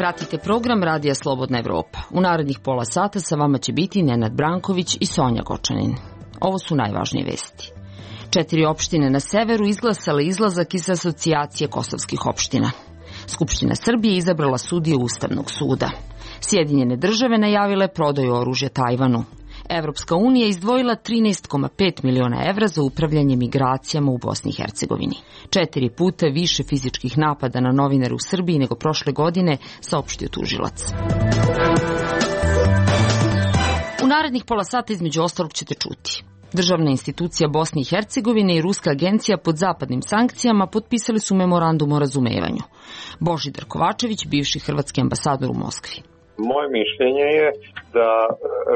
Pratite program Radija Slobodna Evropa. U narednih pola sata sa vama će biti Nenad Branković i Sonja Gočanin. Ovo su najvažnije vesti. 4 opštine na severu izglasale izlazak iz asocijacije kosovskih opština. Skupština Srbije izabrala sudije Ustavnog suda. Sjedinjene države najavile prodaju oružja Tajvanu. Evropska unija izdvojila 13,5 miliona evra za upravljanje migracijama u Bosni i Hercegovini. 4 puta više fizičkih napada na novinare u Srbiji nego prošle godine, saopštio tužilac. U narednih pola sata između ostalog ćete čuti. Državna institucija Bosne i Hercegovine i Ruska agencija pod zapadnim sankcijama potpisali su memorandum o razumevanju. Božidar Kovačević, bivši hrvatski ambasador u Moskvi. Moje mišljenje je da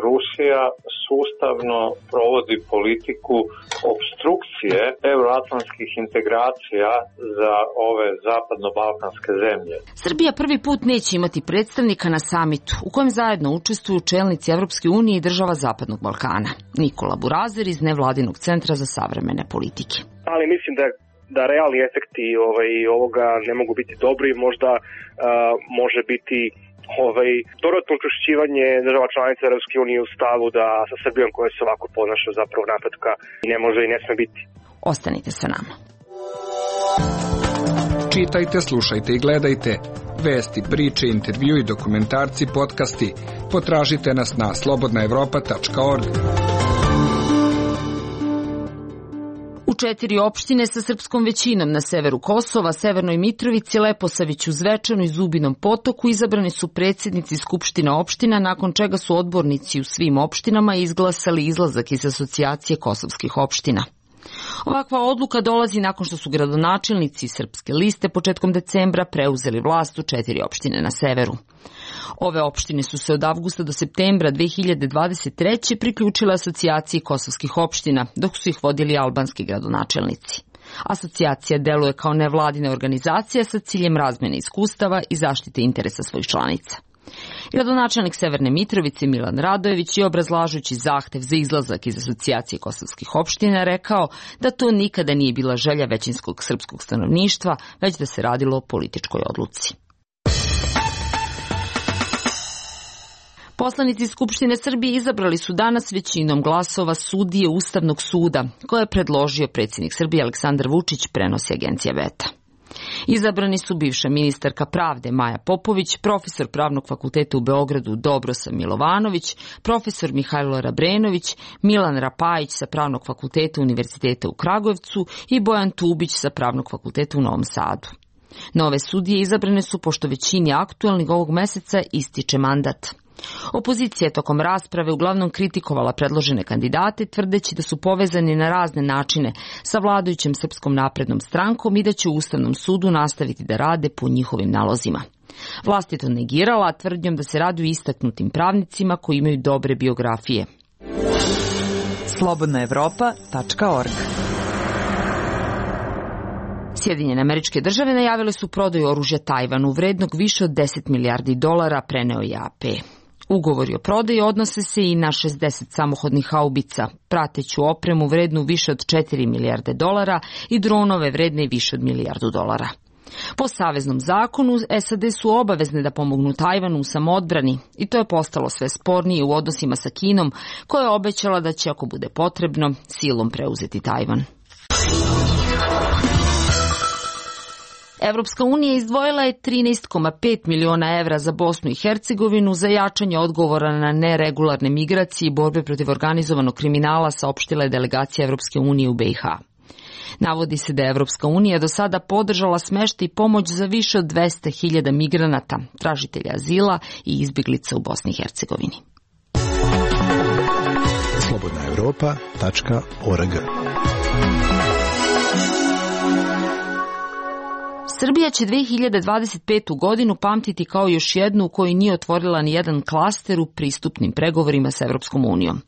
Rusija sustavno provodi politiku opstrukcije euroatlantskih integracija za ove zapadno-balkanske zemlje. Srbija prvi put neće imati predstavnika na samitu u kojem zajedno učestvuju čelnici Evropske unije i država Zapadnog Balkana. Nikola Burazer iz Nevladinog centra za savremene politike. Ali mislim da realni efekti ovoga ne mogu biti dobri, možda može biti dodatno učvršćivanje država članica Europske unije u stavu da sa Srbijom koja se ovako ponaša zapravo napretka i ne može i ne sme biti. Ostanite sa nama. Čitajte, slušajte i gledajte vesti, priče, intervju i dokumentarci, podcasti. Potražite nas na slobodnaevropa.org. U 4 opštine sa srpskom većinom na severu Kosova, Severnoj Mitrovici, Leposaviću, Zvečanu i Zubinom Potoku izabrani su predsjednici skupština opština, nakon čega su odbornici u svim opštinama izglasali izlazak iz asocijacije kosovskih opština. Ovakva odluka dolazi nakon što su gradonačelnici Srpske liste početkom decembra preuzeli vlast u 4 opštine na severu. Ove opštine su se od avgusta do septembra 2023. priključile asocijaciji kosovskih opština, dok su ih vodili albanski gradonačelnici. Asocijacija deluje kao nevladina organizacija sa ciljem razmjene iskustava i zaštite interesa svojih članica. Gradonačelnik Severne Mitrovice Milan Radojević je, obrazlažući zahtev za izlazak iz asocijacije kosovskih opština, rekao da to nikada nije bila želja većinskog srpskog stanovništva, već da se radilo o političkoj odluci. Poslanici Skupštine Srbije izabrali su danas većinom glasova sudije Ustavnog suda, koje je predložio predsjednik Srbije Aleksandar Vučić, prenosi agencija Beta. Izabrani su bivša ministarka pravde Maja Popović, profesor Pravnog fakulteta u Beogradu Dobrosav Milovanović, profesor Mihajlo Rabrenović, Milan Rapajić sa Pravnog fakulteta Univerziteta u Kragujevcu i Bojan Tubić sa Pravnog fakulteta u Novom Sadu. Nove sudije izabrane su pošto većini aktualnih ovog meseca ističe mandat. Opozicija je tokom rasprave uglavnom kritikovala predložene kandidate, tvrdeći da su povezani na razne načine sa vladajućom Srpskom naprednom strankom i da će u Ustavnom sudu nastaviti da rade po njihovim nalozima. Vlast je to negirala tvrdnjom da se radi o istaknutim pravnicima koji imaju dobre biografije. slobodnaevropa.org. Sjedinjene Američke Države najavile su prodaju oružja Tajvanu vrednog više od $10 milijardi, preneo je AP. Ugovori o prodaji odnose se i na 60 samohodnih haubica, prateću opremu vrednu više od $4 milijarde i dronove vredne više od $1 milijardu. Po saveznom zakonu, SAD su obavezne da pomognu Tajvanu u samoodbrani i to je postalo sve spornije u odnosima sa Kinom, koja je obećala da će, ako bude potrebno, silom preuzeti Tajvan. Evropska unija izdvojila je 13,5 miliona evra za Bosnu i Hercegovinu za jačanje odgovora na neregularne migracije i borbe protiv organizovanog kriminala, saopštila je delegacija Evropske unije u BiH. Navodi se da je Evropska unija do sada podržala smeštaj i pomoć za više od 200.000 migranata, tražitelja azila i izbjeglica u Bosni i Hercegovini. slobodnaevropa.org. Srbija će 2025. godinu pamtiti kao još jednu u kojoj nije otvorila ni jedan klaster u pristupnim pregovorima sa Evropskom unijom.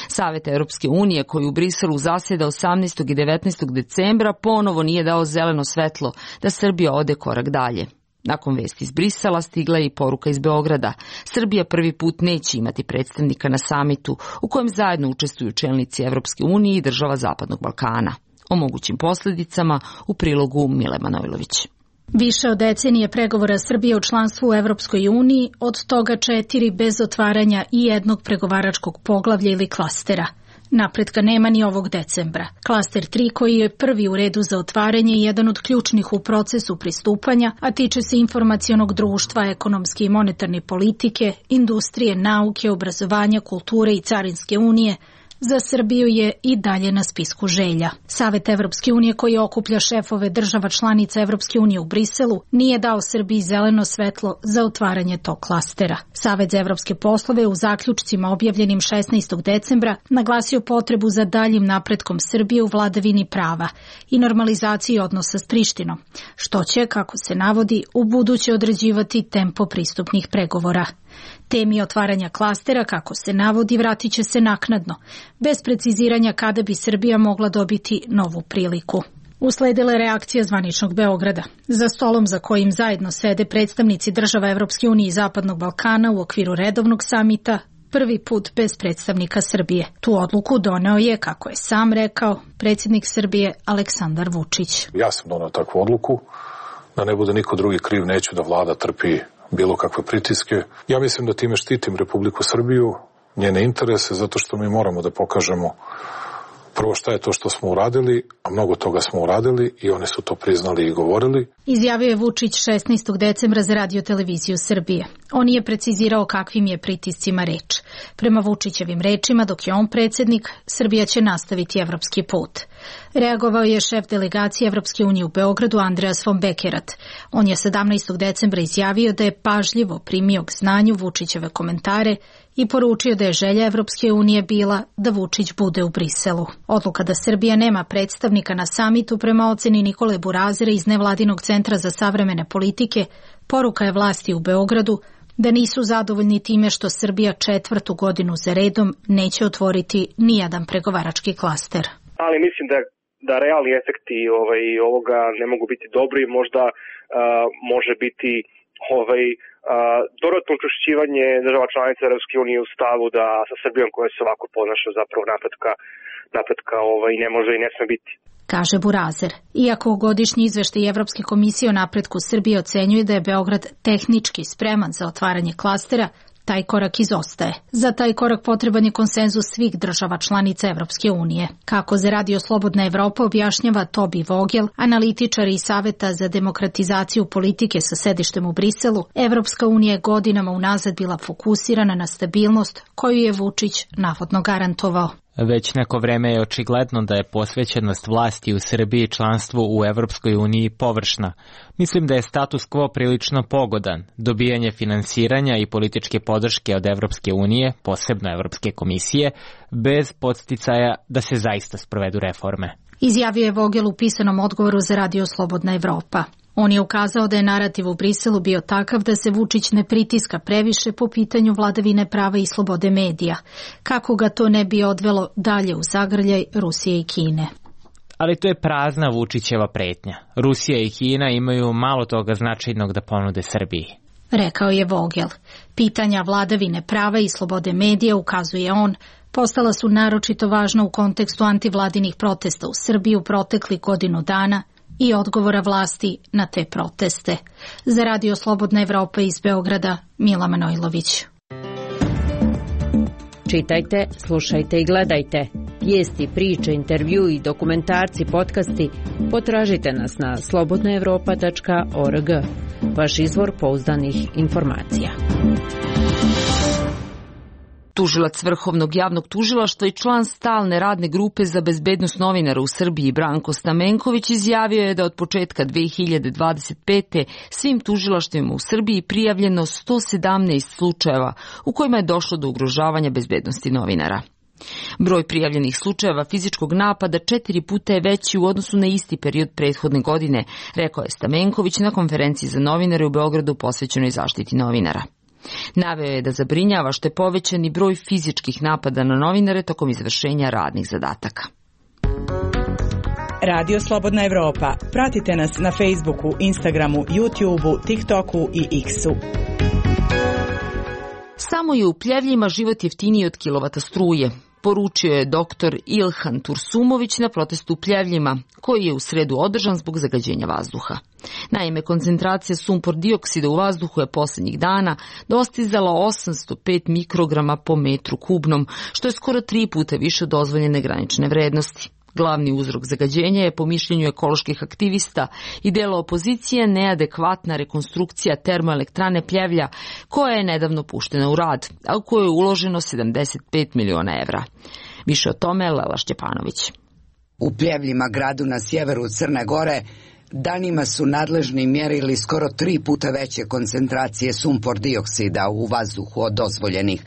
Savet Europske unije, koji u Briselu zasjeda 18. i 19. decembra, ponovo nije dao zeleno svetlo da Srbija ode korak dalje. Nakon vesti iz Brisela stigla je i poruka iz Beograda. Srbija prvi put neće imati predstavnika na samitu u kojem zajedno učestvuju čelnici Evropske unije i država Zapadnog Balkana. O mogućim posljedicama u prilogu Mile Manojlović. Više od decenije pregovora Srbije u članstvu u Evropskoj uniji, od toga 4 bez otvaranja i jednog pregovaračkog poglavlja ili klastera. Napretka nema ni ovog decembra. Klaster 3, koji je prvi u redu za otvaranje i jedan od ključnih u procesu pristupanja, a tiče se informacionog društva, ekonomske i monetarne politike, industrije, nauke, obrazovanja, kulture i carinske unije, za Srbiju je i dalje na spisku želja. Savet Evropske unije, koji okuplja šefove država članica Evropske unije u Briselu, nije dao Srbiji zeleno svetlo za otvaranje tog klastera. Savet za evropske poslove u zaključcima objavljenim 16. decembra naglasio potrebu za daljim napretkom Srbije u vladavini prava i normalizaciji odnosa s Prištinom, što će, kako se navodi, u buduće određivati tempo pristupnih pregovora. Temi otvaranja klastera, kako se navodi, vratit će se naknadno, bez preciziranja kada bi Srbija mogla dobiti novu priliku. Usledila je reakcija zvaničnog Beograda. Za stolom za kojim zajedno sede predstavnici država Evropske unije i Zapadnog Balkana u okviru redovnog samita, prvi put bez predstavnika Srbije. Tu odluku doneo je, kako je sam rekao, predsjednik Srbije Aleksandar Vučić. Ja sam doneo takvu odluku, da ne bude niko drugi kriv, neću da vlada trpi bilo kakve pritiske. Ja mislim da time štitim Republiku Srbiju, njene interese, zato što mi moramo da pokažemo prvo šta je to što smo uradili, a mnogo toga smo uradili i oni su to priznali i govorili. Izjavio je Vučić 16. decembra za Radio-televiziju Srbije. On nije precizirao kakvim je pritiscima reč. Prema Vučićevim rečima, dok je on predsjednik, Srbija će nastaviti evropski put. Reagovao je šef delegacije Evropske unije u Beogradu Andreas von Bekerat. On je 17. decembra izjavio da je pažljivo primio k znanju Vučićeve komentare i poručio da je želja Evropske unije bila da Vučić bude u Briselu. Odluka da Srbija nema predstavnika na samitu prema oceni Nikole Burazera iz Nevladinog centra za savremene politike, poruka je vlasti u Beogradu da nisu zadovoljni time što Srbija 4. godinu za redom neće otvoriti nijedan pregovarački klaster. Ali mislim da realni efekti ovoga ne mogu biti dobri, možda može biti dodatno učvršćivanje država članica Evropske unije u stavu da sa Srbijom koja se ovako ponaša zapravo napretka ne može i ne sme biti. Kaže Burazer. Iako godišnji izveštaj Evropske komisije o napretku Srbije ocenjuje da je Beograd tehnički spreman za otvaranje klastera, taj korak izostaje. Za taj korak potreban je konsenzus svih država članica Evropske unije. Kako za Radio Slobodna Evropa objašnjava Tobi Vogel, analitičar iz Saveta za demokratizaciju politike sa sedištem u Briselu, Evropska unija je godinama unazad bila fokusirana na stabilnost koju je Vučić navodno garantovao. Već neko vreme je očigledno da je posvećenost vlasti u Srbiji članstvu u Evropskoj uniji površna. Mislim da je status quo prilično pogodan. Dobijanje finansiranja i političke podrške od Evropske unije, posebno Evropske komisije, bez podsticaja da se zaista sprovedu reforme. Izjavio je Vogel u pisanom odgovoru za Radio Slobodna Evropa. On je ukazao da je narativ u Briselu bio takav da se Vučić ne pritiska previše po pitanju vladavine prava i slobode medija, kako ga to ne bi odvelo dalje u zagrljaj Rusije i Kine. Ali to je prazna Vučićeva pretnja. Rusija i Kina imaju malo toga značajnog da ponude Srbiji. Rekao je Vogel. Pitanja vladavine prava i slobode medija, ukazuje on, postala su naročito važna u kontekstu antivladinih protesta u Srbiji u proteklih godinu dana i odgovora vlasti na te proteste. Za Radio Slobodna Evropa iz Beograda, Mila Manojlović. Čitajte, slušajte i gledajte. Vijesti, priče, intervju i dokumentarci, podcasti potražite nas na slobodnaevropa.org. Vaš izvor pouzdanih informacija. Tužilac Vrhovnog javnog tužilaštva i član stalne radne grupe za bezbednost novinara u Srbiji Branko Stamenković izjavio je da od početka 2025. svim tužilaštvima u Srbiji prijavljeno 117 slučajeva u kojima je došlo do ugrožavanja bezbednosti novinara. Broj prijavljenih slučajeva fizičkog napada 4 puta je veći u odnosu na isti period prethodne godine, rekao je Stamenković na konferenciji za novinare u Beogradu posvećenoj zaštiti novinara. Naveo je da zabrinjava što je povećani broj fizičkih napada na novinare tokom izvršenja radnih zadataka. Radio Slobodna Evropa. Pratite nas na Facebooku, Instagramu, YouTubeu, TikToku i X-u. Samo je u Pljevljima život jeftiniji od kilovata struje. poručio je dr. Ilhan Tursumović na protestu u Pljevljima, koji je u sredu održan zbog zagađenja vazduha. Naime, koncentracija sumpor dioksida u vazduhu je posljednjih dana dostizala 805 mikrograma po metru kubnom, što je skoro 3 puta više od dozvoljene granične vrednosti. Glavni uzrok zagađenja je, po mišljenju ekoloških aktivista i dela opozicije, neadekvatna rekonstrukcija termoelektrane Pljevlja, koja je nedavno puštena u rad, a u kojoj je uloženo 75 miliona evra. Više o tome Lela Šćepanović. U Pljevljima, gradu na sjeveru Crne Gore, danima su nadležni mjerili skoro 3 puta veće koncentracije sumpor dioksida u vazduhu od dozvoljenih.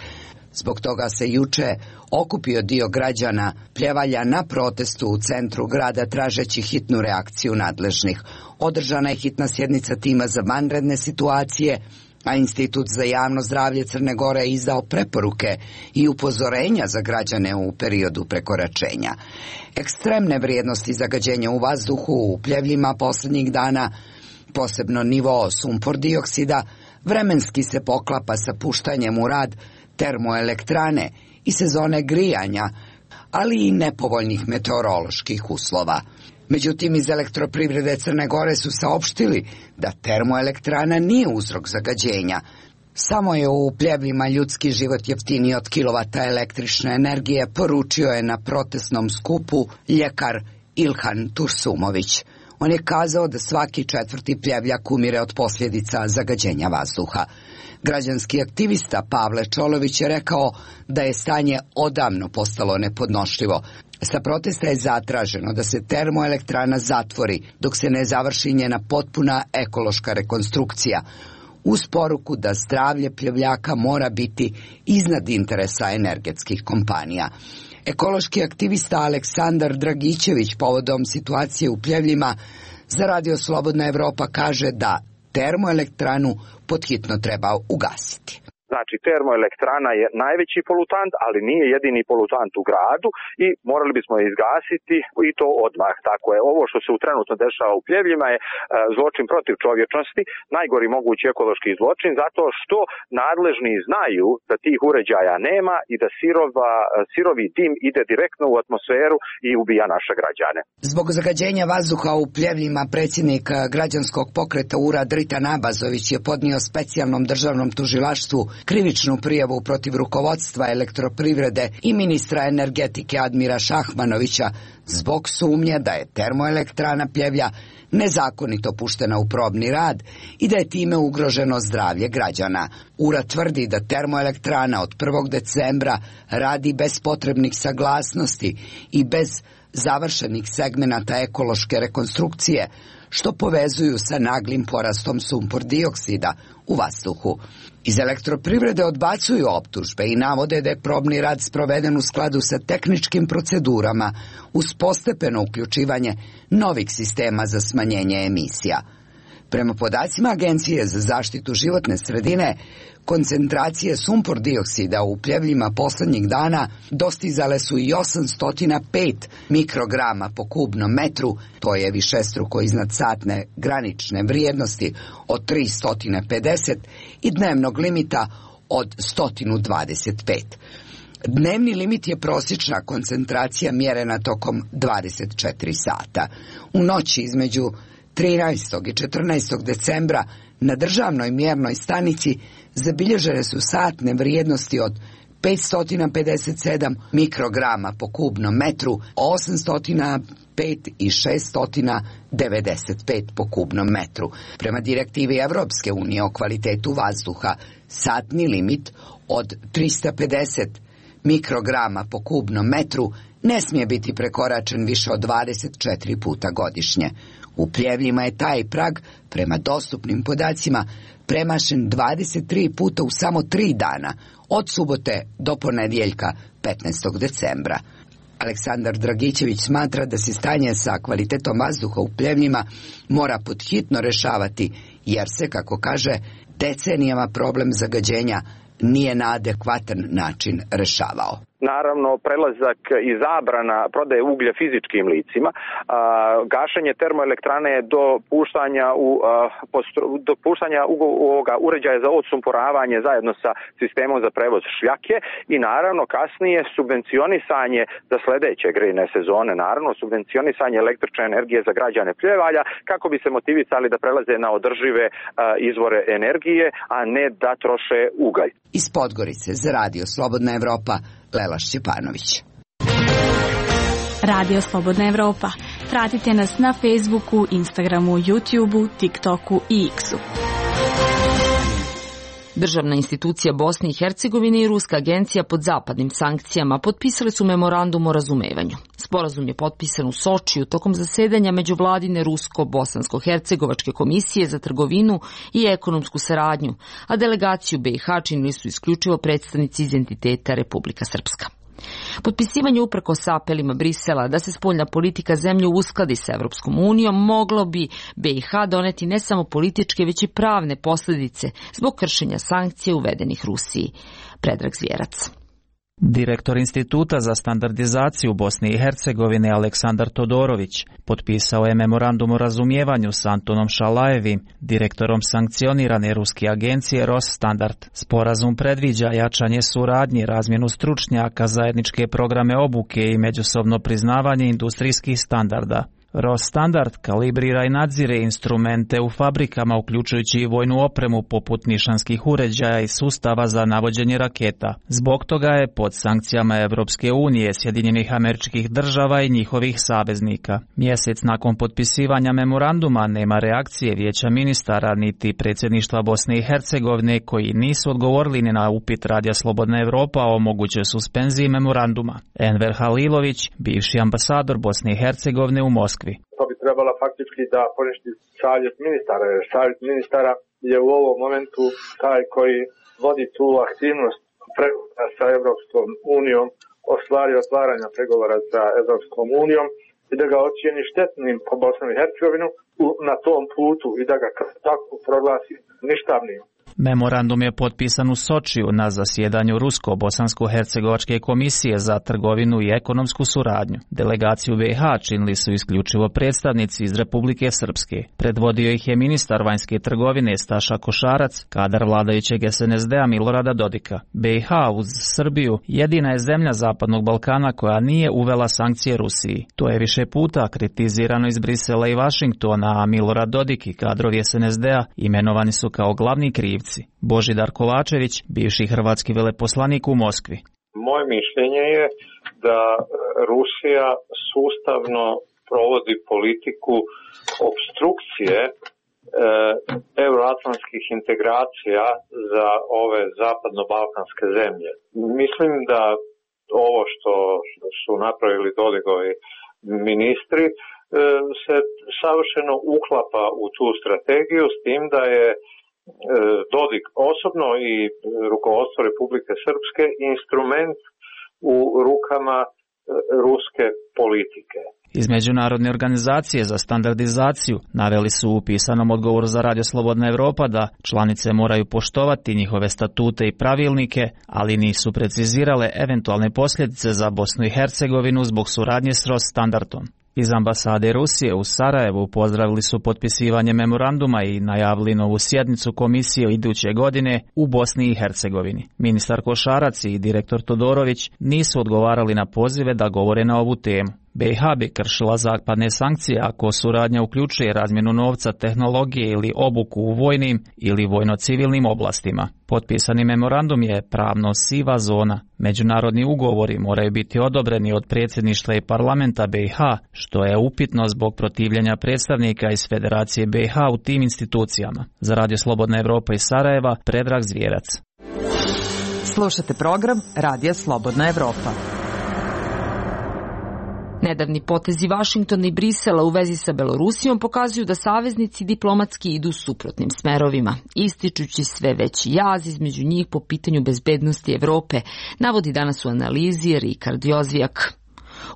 Zbog toga se juče okupio dio građana Pljevalja na protestu u centru grada tražeći hitnu reakciju nadležnih. Održana je hitna sjednica tima za vanredne situacije, a Institut za javno zdravlje Crne Gore je izdao preporuke i upozorenja za građane u periodu prekoračenja. Ekstremne vrijednosti zagađenja u vazduhu u Pljevljima posljednjih dana, posebno nivo sumpor dioksida, vremenski se poklapa sa puštanjem u rad termoelektrane i sezone grijanja, ali i nepovoljnih meteoroloških uslova. Međutim, iz Elektroprivrede Crne Gore su saopštili da termoelektrana nije uzrok zagađenja. Samo je u Pljevljima ljudski život jeftiniji od kilovata električne energije, poručio je na protestnom skupu ljekar Ilhan Tursumović. On je kazao da svaki 4. Pljevljak umire od posljedica zagađenja vazduha. Građanski aktivista Pavle Čolović je rekao da je stanje odavno postalo nepodnošljivo. Sa protesta je zatraženo da se termoelektrana zatvori dok se ne završi njena potpuna ekološka rekonstrukcija, uz poruku da zdravlje Pljevljaka mora biti iznad interesa energetskih kompanija. Ekološki aktivista Aleksandar Dragićević povodom situacije u Pljevljima za Radio Slobodna Evropa kaže da termoelektranu podhitno treba ugasiti. Znači, termoelektrana je najveći polutant, ali nije jedini polutant u gradu i morali bismo je izgasiti i to odmah. Tako je, ovo što se trenutno dešava u Pljevljima je zločin protiv čovječnosti, najgori mogući ekološki zločin, zato što nadležni znaju da tih uređaja nema i da sirovi dim ide direktno u atmosferu i ubija naše građane. Zbog zagađenja vazduha u Pljevljima predsjednik građanskog pokreta URA Dritan Abazović je podnio specijalnom državnom tužilaštvu krivičnu prijavu protiv rukovodstva Elektroprivrede i ministra energetike Admira Šahmanovića zbog sumnje da je termoelektrana Pljevlja nezakonito puštena u probni rad i da je time ugroženo zdravlje građana. URA tvrdi da termoelektrana od 1. decembra radi bez potrebnih saglasnosti i bez završenih segmenata ekološke rekonstrukcije, što povezuju sa naglim porastom sumpor dioksida u vazduhu. Iz Elektroprivrede odbacuju optužbe i navode da je probni rad sproveden u skladu sa tehničkim procedurama uz postepeno uključivanje novih sistema za smanjenje emisija. Prema podacima Agencije za zaštitu životne sredine, koncentracije sumpor dioksida u Pljevljima posljednjih dana dostizale su i 805 mikrograma po kubnom metru, to je višestruko iznad satne granične vrijednosti od 350 i dnevnog limita od 125. Dnevni limit je prosječna koncentracija mjerena tokom 24 sata. U noći između 13. i 14. decembra na državnoj mjernoj stanici zabilježene su satne vrijednosti od 557 mikrograma po kubnom metru, 805 i 695 po kubnom metru. Prema direktivi Evropske unije o kvalitetu vazduha, satni limit od 350 mikrograma po kubnom metru ne smije biti prekoračen više od 24 puta godišnje. U Pljevljima je taj prag, prema dostupnim podacima, premašen 23 puta u samo 3 dana, od subote do ponedjeljka 15. decembra. Aleksandar Dragićević smatra da se stanje sa kvalitetom vazduha u Pljevljima mora podhitno rešavati, jer se, kako kaže, decenijama problem zagađenja nije na adekvatan način rešavao. naravno prelazak i zabrana prodaje uglja fizičkim licima, gašenje termoelektrane do puštanja ovoga uređaja za odsumporavanje zajedno sa sistemom za prevoz šljake i naravno kasnije subvencionisanje za sledeće grejne sezone, naravno subvencionisanje električne energije za građane Pljevalja kako bi se motivisali da prelaze na održive izvore energije, a ne da troše ugalj. Iz Podgorice za Radio Slobodna Evropa, Lela Šćepanović. Radio Slobodna Evropa. Pratite nas na Facebooku, Instagramu, YouTubeu, TikToku i X-u. Državna institucija Bosne i Hercegovine i Ruska agencija pod zapadnim sankcijama potpisali su memorandum o razumevanju. Sporazum je potpisan u Sočiju tokom zasedanja međuvladine Rusko-Bosansko-Hercegovačke komisije za trgovinu i ekonomsku saradnju, a delegaciju BiH činili su isključivo predstavnici iz entiteta Republika Srpska. Potpisivanje uprkos apelima Brisela da se spoljna politika zemlje uskladi sa Evropskom unijom moglo bi BiH doneti ne samo političke, već i pravne posljedice zbog kršenja sankcija uvedenih Rusiji. Predrag Zvjerac. Direktor Instituta za standardizaciju Bosne i Hercegovine Aleksandar Todorović potpisao je memorandum o razumijevanju s Antonom Šalajevim, direktorom sankcionirane ruske agencije Rosstandard. Sporazum predviđa jačanje suradnje, razmjenu stručnjaka, zajedničke programe obuke i međusobno priznavanje industrijskih standarda. Rosstandard kalibrira i nadzire instrumente u fabrikama, uključujući i vojnu opremu poput nišanskih uređaja i sustava za navođenje raketa. Zbog toga je pod sankcijama Evropske unije, Sjedinjenih Američkih Država i njihovih saveznika. Mjesec nakon potpisivanja memoranduma nema reakcije Vijeća ministara niti predsjedništva Bosne i Hercegovine, koji nisu odgovorili ni na upit Radija Slobodna Evropa o mogućoj suspenziji memoranduma. Enver Halilović, bivši ambasador Bosne i Hercegovine u Moskvi. To bi trebalo faktički da poništi savjet ministara, jer savjet ministara je u ovom momentu taj koji vodi tu aktivnost pregovora sa Evropskom unijom o stvari otvaranja pregovora sa Evropskom unijom i da ga ocijeni štetnim po Bosnu i Hercegovinu na tom putu i da ga tako proglasi ništavnim. Memorandum je potpisan u Sočiju na zasjedanju Rusko-Bosansko-Hercegovačke komisije za trgovinu i ekonomsku suradnju. Delegaciju BiH činili su isključivo predstavnici iz Republike Srpske. Predvodio ih je ministar vanjske trgovine Staša Košarac, kadar vladajućeg SNSD-a Milorada Dodika. BiH uz Srbiju jedina je zemlja Zapadnog Balkana koja nije uvela sankcije Rusiji. To je više puta kritizirano iz Brisela i Vašingtona, a Milorad Dodik i kadrovi SNSD-a imenovani su kao glavni krivci. Božidar Kovačević, bivši hrvatski veleposlanik u Moskvi. Moje mišljenje je da Rusija sustavno provodi politiku obstrukcije euroatlantskih integracija za ove zapadno-balkanske zemlje. Mislim da ovo što su napravili Dodigovi ministri se savršeno uklapa u tu strategiju, s tim da je Dodik osobno i rukovodstvo Republike Srpske instrument u rukama ruske politike. Iz Međunarodne organizacije za standardizaciju naveli su u pisanom odgovoru za Radio Slobodna Evropa da članice moraju poštovati njihove statute i pravilnike, ali nisu precizirale eventualne posljedice za Bosnu i Hercegovinu zbog suradnje s Rosstandardom. Iz ambasade Rusije u Sarajevu pozdravili su potpisivanje memoranduma i najavili novu sjednicu komisije iduće godine u Bosni i Hercegovini. Ministar Košarac i direktor Todorović nisu odgovarali na pozive da govore na ovu temu. BiH bi kršila zapadne sankcije ako suradnja uključuje razmjenu novca, tehnologije ili obuku u vojnim ili vojno-civilnim oblastima. Potpisani memorandum je pravno siva zona. Međunarodni ugovori moraju biti odobreni od predsjedništva i parlamenta BiH, što je upitno zbog protivljenja predstavnika iz Federacije BiH u tim institucijama. Za Radio Slobodna Evropa iz Sarajeva, Predrag Zvjerac. Slušate program Radija Slobodna Evropa. Nedavni potezi Vašingtona i Brisela u vezi sa Belorusijom pokazuju da saveznici diplomatski idu suprotnim smerovima, ističući sve veći jaz između njih po pitanju bezbednosti Evrope, navodi danas u analizi Rikard Jozvijak.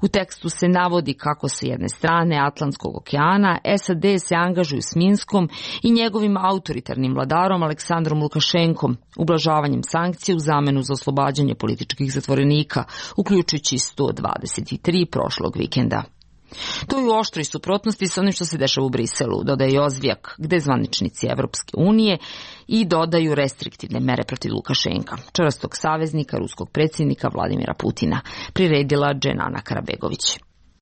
U tekstu se navodi kako sa jedne strane Atlantskog okeana SAD se angažuju s Minskom i njegovim autoritarnim vladarom Aleksandrom Lukašenkom, ublažavanjem sankcija u zamenu za oslobađanje političkih zatvorenika, uključujući 123 prošlog vikenda. To je u oštroj suprotnosti sa onim što se dešava u Briselu, dodaje Ozvijak, gde zvaničnici Evropske unije i dodaju restriktivne mere protiv Lukašenka, čvrstog saveznika ruskog predsjednika Vladimira Putina, priredila Dženana Karabegović.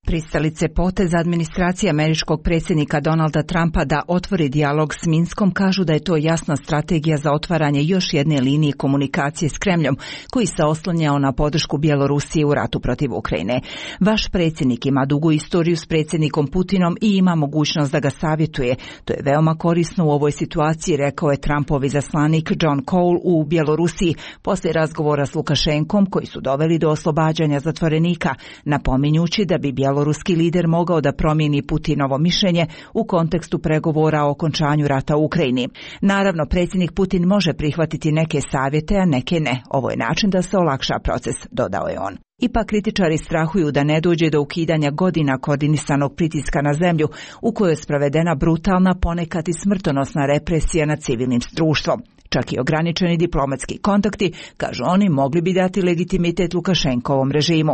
Pristalice poteza administracije američkog predsjednika Donalda Trumpa da otvori dijalog s Minskom kažu da je to jasna strategija za otvaranje još jedne linije komunikacije s Kremljom, koji se oslanjao na podršku Bjelorusije u ratu protiv Ukrajine. Vaš predsjednik ima dugu istoriju s predsjednikom Putinom i ima mogućnost da ga savjetuje. To je veoma korisno u ovoj situaciji, rekao je Trumpov izaslanik John Cole u Bjelorusiji poslije razgovora s Lukašenkom koji su doveli do oslobađanja zatvorenika, napominjući da bi bjeloruski lider mogao da promijeni Putinovo mišljenje u kontekstu pregovora o okončanju rata u Ukrajini. Naravno, predsjednik Putin može prihvatiti neke savjete, a neke ne. Ovo je način da se olakša proces, dodao je on. Ipak kritičari strahuju da ne dođe do ukidanja godina koordinisanog pritiska na zemlju u kojoj je sprovedena brutalna, ponekad i smrtonosna represija nad civilnim društvom. Čak i ograničeni diplomatski kontakti, kažu oni, mogli bi dati legitimitet Lukašenkovom režimu.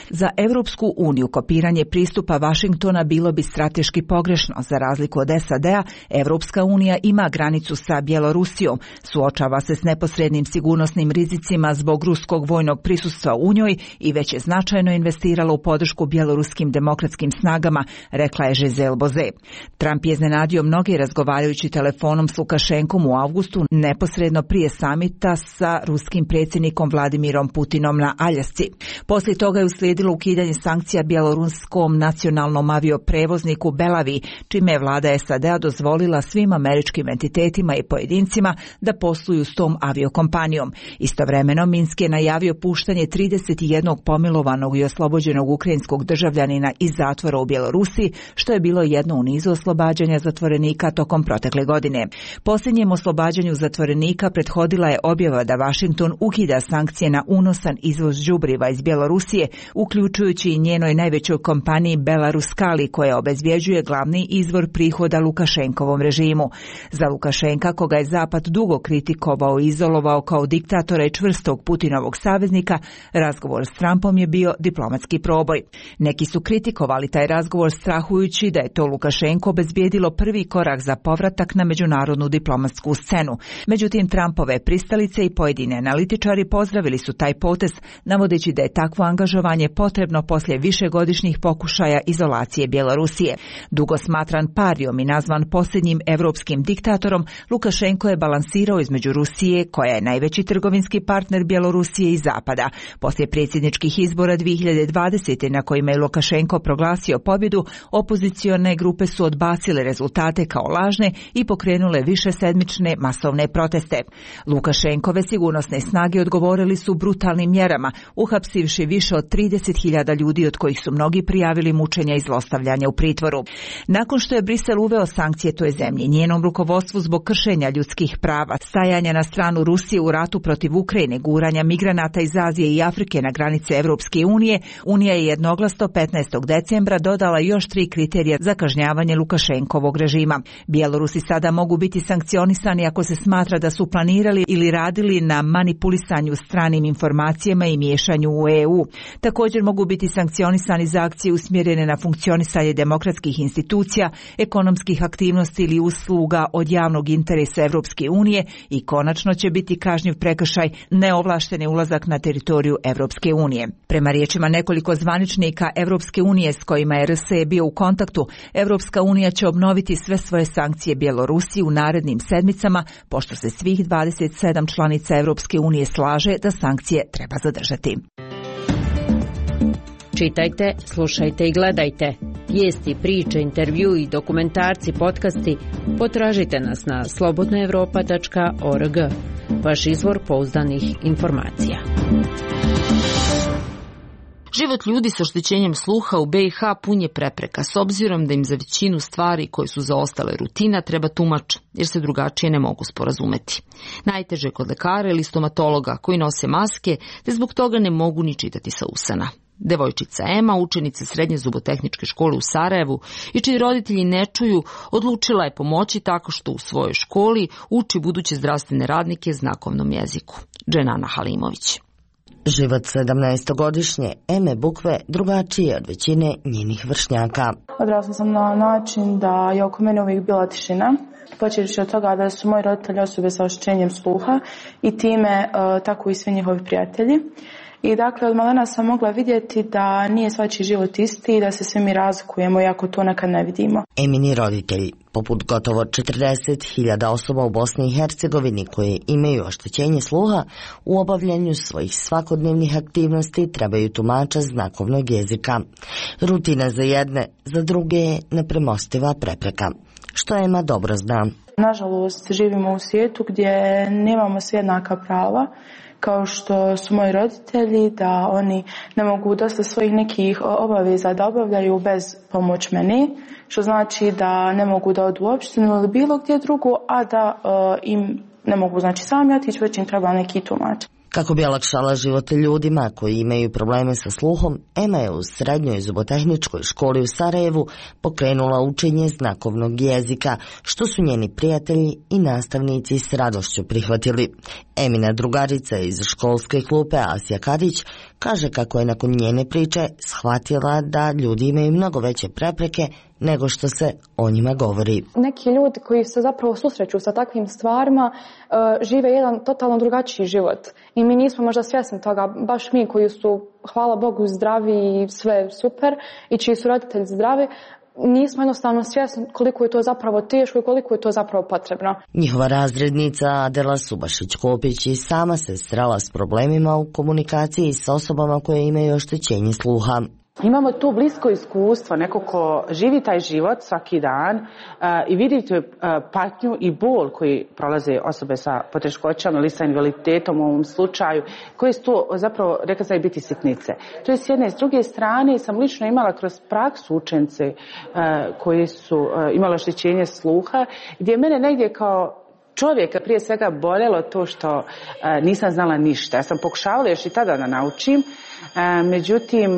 Za Evropsku uniju kopiranje pristupa Vašingtona bilo bi strateški pogrešno. Za razliku od SAD-a, Evropska unija ima granicu sa Bjelorusijom, suočava se s neposrednim sigurnosnim rizicima zbog ruskog vojnog prisustva u njoj i već je značajno investirala u podršku bjeloruskim demokratskim snagama, rekla je Giselle Bozet. Trump je iznenadio mnoge razgovarajući telefonom s Lukašenkom u avgustu, neposredno prije samita sa ruskim predsjednikom Vladimirom Putinom na Aljasci. Poslije toga je uslijedilo ukidanje sankcija bjeloruskom nacionalnom avioprevozniku Belavi, čime je vlada SAD-a dozvolila svim američkim entitetima i pojedincima da posluju s tom aviokompanijom. Istovremeno Minsk je najavio puštanje 31 pomilovanog i oslobođenog ukrajinskog državljanina iz zatvora u Bjelorusiji, što je bilo jedno u nizu oslobađanja zatvorenika tokom protekle godine. Posljednjem oslobađanju zatvorenika prethodila je objava da Washington ukida sankcije na unosan izvoz đubriva iz Bjelorusije, uključujući i njenoj najvećoj kompaniji Belaruskali, koja obezvjeđuje glavni izvor prihoda Lukašenkovom režimu. Za Lukašenka, koga je Zapad dugo kritikovao i izolovao kao diktatora i čvrstog Putinovog saveznika, razgovor s Trumpom je bio diplomatski proboj. Neki su kritikovali taj razgovor strahujući da je to Lukašenko obezbijedilo prvi korak za povratak na međunarodnu diplomatsku scenu. Međutim, Trumpove pristalice i pojedini analitičari pozdravili su taj potez, navodeći da je takvo angažovanje potrebno poslije višegodišnjih pokušaja izolacije Bjelorusije. Dugo smatran parijom i nazvan posljednjim evropskim diktatorom, Lukašenko je balansirao između Rusije, koja je najveći trgovinski partner Bjelorusije, i Zapada. Poslije predsjedničkih izbora 2020. na kojima je Lukašenko proglasio pobjedu, opozicione grupe su odbacile rezultate kao lažne i pokrenule višesedmične masovne proteste. Lukašenkove sigurnosne snage odgovorili su brutalnim mjerama, uhapsivši više od 30.000 ljudi, od kojih su mnogi prijavili mučenja i zlostavljanja u pritvoru. Nakon što je Brisel uveo sankcije toj zemlji, njenom rukovodstvu zbog kršenja ljudskih prava, stajanja na stranu Rusije u ratu protiv Ukrajine, guranja migranata iz Azije i Afrike na granice Evropske unije, Unija je jednoglasno 15. decembra dodala još 3 kriterija za kažnjavanje Lukašenkovog režima. Bjelorusi sada mogu biti sankcionisani ako se smatra da su planirali ili radili na manipulisanju stranim informacijama i miješanju u EU. Također mogu biti sankcionisani za akcije usmjerene na funkcionisanje demokratskih institucija, ekonomskih aktivnosti ili usluga od javnog interesa Evropske unije i konačno će biti kažnjiv prekršaj neovlašteni ulazak na teritoriju Evropske unije. Prema riječima nekoliko zvaničnika Evropske unije s kojima je RSE bio u kontaktu, Evropska unija će obnoviti sve svoje sankcije Bjelorusiji u narednim sedmicama, pošto se svih 27 članica Evropske unije slaže da sankcije treba zadržati. Čitajte, slušajte i gledajte. Vijesti, priče, intervju i dokumentarci, podcasti potražite nas na slobodnaevropa.org. Vaš izvor pouzdanih informacija. Život ljudi sa oštećenjem sluha u BiH pun je prepreka, s obzirom da im za većinu stvari koje su zaostale rutina treba tumač, jer se drugačije ne mogu sporazumeti. Najteže je kod lekara ili stomatologa koji nose maske, te zbog toga ne mogu ni čitati sa usana. Devojčica Ema, učenica srednje zubotehničke škole u Sarajevu i čiji roditelji ne čuju, odlučila je pomoći tako što u svojoj školi uči buduće zdravstvene radnike znakovnom jeziku. Dženana Halimović. Život 17-godišnje Eme Bukve drugačiji je od većine njenih vršnjaka. Odrasla sam na način da je oko mene uvijek bila tišina. Počevši od toga da su moji roditelji osobe sa oštećenjem sluha i time tako i svi njihovi prijatelji. I dakle, od malena sam mogla vidjeti da nije svačiji život isti i da se svi mi razlikujemo, iako to nekad ne vidimo. Emini roditelji, poput gotovo 40.000 osoba u Bosni i Hercegovini koje imaju oštećenje sluha, u obavljanju svojih svakodnevnih aktivnosti trebaju tumača znakovnog jezika. Rutina za jedne, za druge je nepremostiva prepreka, što Ema dobro zna. Nažalost, živimo u svijetu gdje nemamo svi jednaka prava, kao što su moji roditelji, da oni ne mogu dosta svojih nekih obaveza da obavljaju bez pomoć meni, što znači da ne mogu da odu u opštinu ili bilo gdje drugo, a da im ne mogu sami otići, već im treba neki tumač. Kako bi olakšala život ljudima koji imaju probleme sa sluhom, Ema je u srednjoj zubotehničkoj školi u Sarajevu pokrenula učenje znakovnog jezika, što su njeni prijatelji i nastavnici s radošću prihvatili. Emina drugarica iz školske klupe Asija Kadić kaže kako je nakon njene priče shvatila da ljudi imaju mnogo veće prepreke nego što se o njima govori. Neki ljudi koji se zapravo susreću sa takvim stvarima žive jedan totalno drugačiji život i mi nismo možda svjesni toga, baš mi koji su, hvala Bogu, zdravi i sve super i čiji su roditelji zdravi, nismo jednostavno svjesni koliko je to zapravo teško i koliko je to zapravo potrebno. Njihova razrednica Adela Subašić-Kopić i sama se srela s problemima u komunikaciji s osobama koje imaju oštećenje sluha. Imamo tu blisko iskustvo, neko ko živi taj život svaki dan i vidi tu patnju i bol koji prolaze osobe sa poteškoćama ili sa invaliditetom u ovom slučaju, koji su to zapravo, rekla sam, biti sitnice. To je s jedne. S druge strane sam lično imala kroz praksu učence koji su imali oštećenje sluha, gdje mene negdje kao čovjeka prije svega boljelo to što nisam znala ništa. Ja sam pokušavala još i tada da naučim, međutim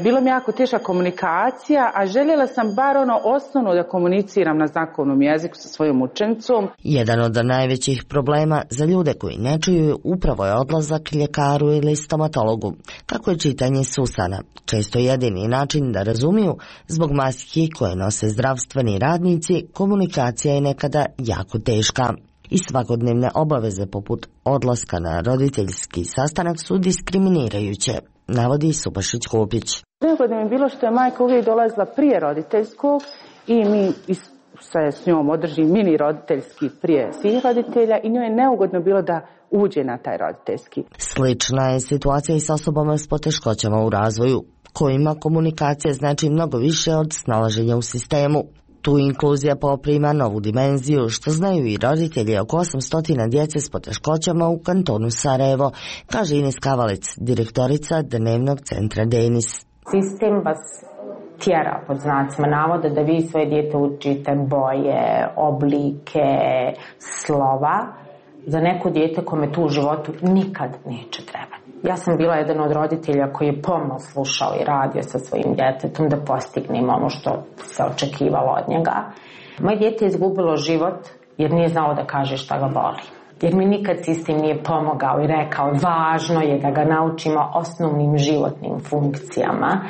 bilo mi jako teška komunikacija, a željela sam bar osnovno da komuniciram na znakovnom jeziku sa svojom učenicom. Jedan od najvećih problema za ljude koji ne čuju upravo je odlazak ljekaru ili stomatologu. Kako je čitanje s usana, često jedini način da razumiju, zbog maski koje nose zdravstveni radnici, komunikacija je nekada jako teška. I svakodnevne obaveze poput odlaska na roditeljski sastanak su diskriminirajuće, navodi Subašić-Kopić. Neugodno mi je bilo što je majka uvijek dolazila prije roditeljskog i mi se s njom održi mini roditeljski prije svih roditelja i njoj je neugodno bilo da uđe na taj roditeljski. Slična je situacija i s osobama s poteškoćama u razvoju, kojima komunikacija znači mnogo više od snalaženja u sistemu. Tu inkluzija poprima novu dimenziju, što znaju i roditelji oko 800 djece s poteškoćama u kantonu Sarajevo, kaže Ines Kavalec, direktorica Dnevnog centra Denis. Sistem vas tjera, pod znacima navoda, da vi svoje dijete učite boje, oblike, slova, za neko dijete kome tu u životu nikad neće trebati. Ja sam bila jedan od roditelja koji je pomno slušao i radio sa svojim djetetom da postignemo ono što se očekivalo od njega. Moje dijete je izgubilo život jer nije znao da kaže šta ga boli. Jer mi nikad sistem nije pomogao i rekao važno je da ga naučimo osnovnim životnim funkcijama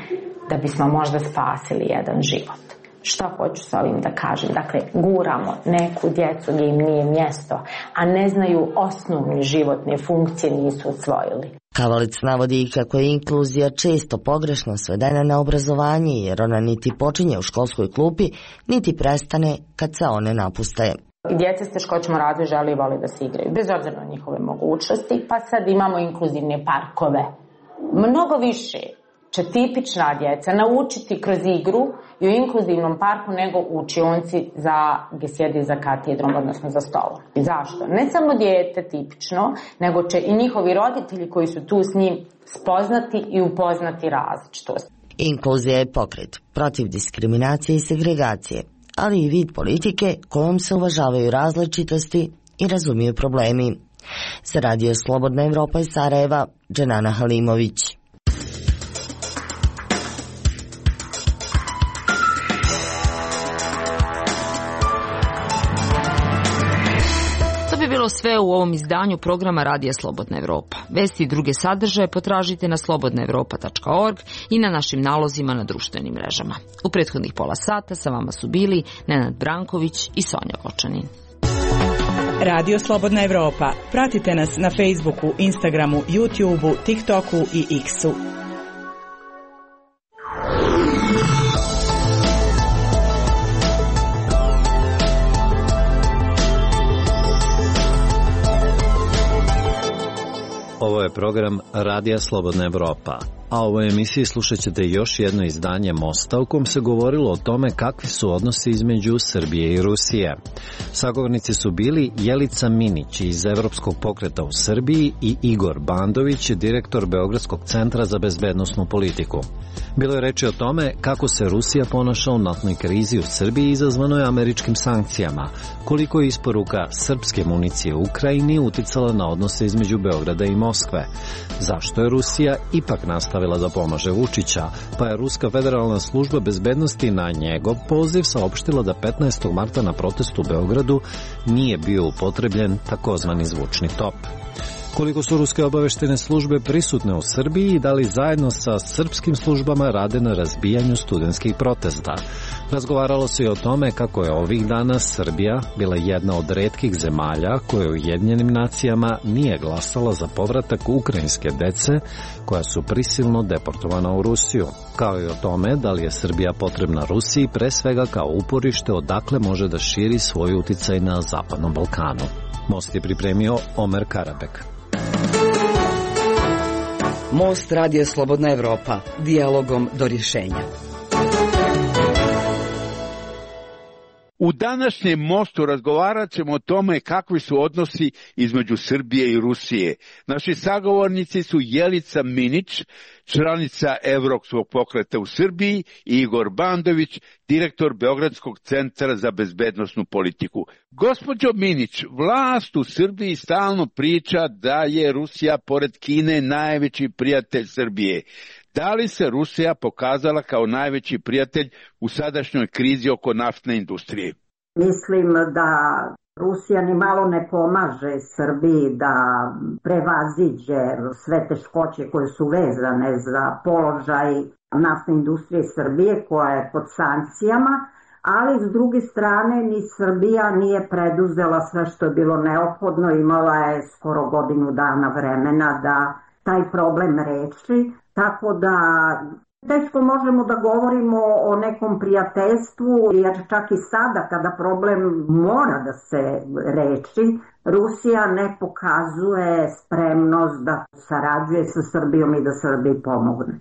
da bismo možda spasili jedan život. Šta hoću s ovim da kažem? Dakle, guramo neku djecu gdje im nije mjesto, a ne znaju osnovne životne funkcije, nisu usvojili. Kavalic navodi i kako je inkluzija često pogrešno svedena na obrazovanje, jer ona niti počinje u školskoj klupi, niti prestane kad se one napuste. Djeca s teškoćama razvoja žele i vole da se igraju, bez obzira na njihove mogućnosti, pa sad imamo inkluzivne parkove. Mnogo više će tipična djeca naučiti kroz igru i u inkluzivnom parku nego u učionci gdje sjedi za katedrom, odnosno za stolom. I zašto? Ne samo dijete tipično, nego će i njihovi roditelji koji su tu s njim spoznati i upoznati različitost. Inkluzija je pokret protiv diskriminacije i segregacije, ali i vid politike kojom se uvažavaju različitosti i razumiju problemi. Za Radio Slobodna Evropa iz Sarajeva, Dženana Halimović. To sve u ovom izdanju programa Radija Slobodna Evropa. Vesti i druge sadržaje potražite na slobodnaevropa.org i na našim nalozima na društvenim mrežama. U prethodnih pola sata sa vama su bili Nenad Branković i Sonja Vočanin. Radio Slobodna Evropa. Pratite nas na Facebooku, Instagramu, YouTubeu, TikToku i X-u. Ovo je program Radija Slobodna Evropa, a u ovoj emisiji slušat ćete još jedno izdanje Mosta u kom se govorilo o tome kakvi su odnosi između Srbije i Rusije. Sagovornici su bili Jelica Minić iz Evropskog pokreta u Srbiji i Igor Bandović, direktor Beogradskog centra za bezbednosnu politiku. Bilo je reči o tome kako se Rusija ponaša u naftnoj krizi u Srbiji izazvanoj američkim sankcijama, koliko je isporuka srpske municije u Ukrajini uticala na odnose između Beograda i Moskve, zašto je Rusija ipak nastavila da pomaže Vučića, pa je Ruska federalna služba bezbednosti na njegov poziv saopštila da 15. marta na protestu u Beogradu nije bio upotrebljen takozvani zvučni top. Koliko su ruske obaveštene službe prisutne u Srbiji i da li zajedno sa srpskim službama rade na razbijanju studentskih protesta. Razgovaralo se i o tome kako je ovih dana Srbija bila jedna od retkih zemalja koje u Ujedinjenim nacijama nije glasala za povratak ukrajinske dece koja su prisilno deportovana u Rusiju, kao i o tome da li je Srbija potrebna Rusiji pre svega kao uporište odakle može da širi svoj uticaj na Zapadnom Balkanu. Most je pripremio Omer Karabek. Most Radio Slobodna Evropa, dijalogom do rješenja. U današnjem Mostu razgovarat ćemo o tome kakvi su odnosi između Srbije i Rusije. Naši sagovornici su Jelica Minić, članica Evropskog pokreta u Srbiji, i Igor Bandović, direktor Beogradskog centra za bezbednosnu politiku. Gospođo Minić, vlast u Srbiji stalno priča da je Rusija pored Kine najveći prijatelj Srbije. Da li se Rusija pokazala kao najveći prijatelj u sadašnjoj krizi oko naftne industrije? Mislim da Rusija ni malo ne pomaže Srbiji da prevaziđe sve teškoće koje su vezane za položaj naftne industrije Srbije koja je pod sankcijama, ali s druge strane ni Srbija nije preduzela sve što je bilo neophodno, imala je skoro godinu dana vremena da taj problem reši. Tako da teško možemo da govorimo o nekom prijateljstvu, jer čak i sada kada problem mora da se reši, Rusija ne pokazuje spremnost da sarađuje sa Srbijom i da Srbiji pomogne.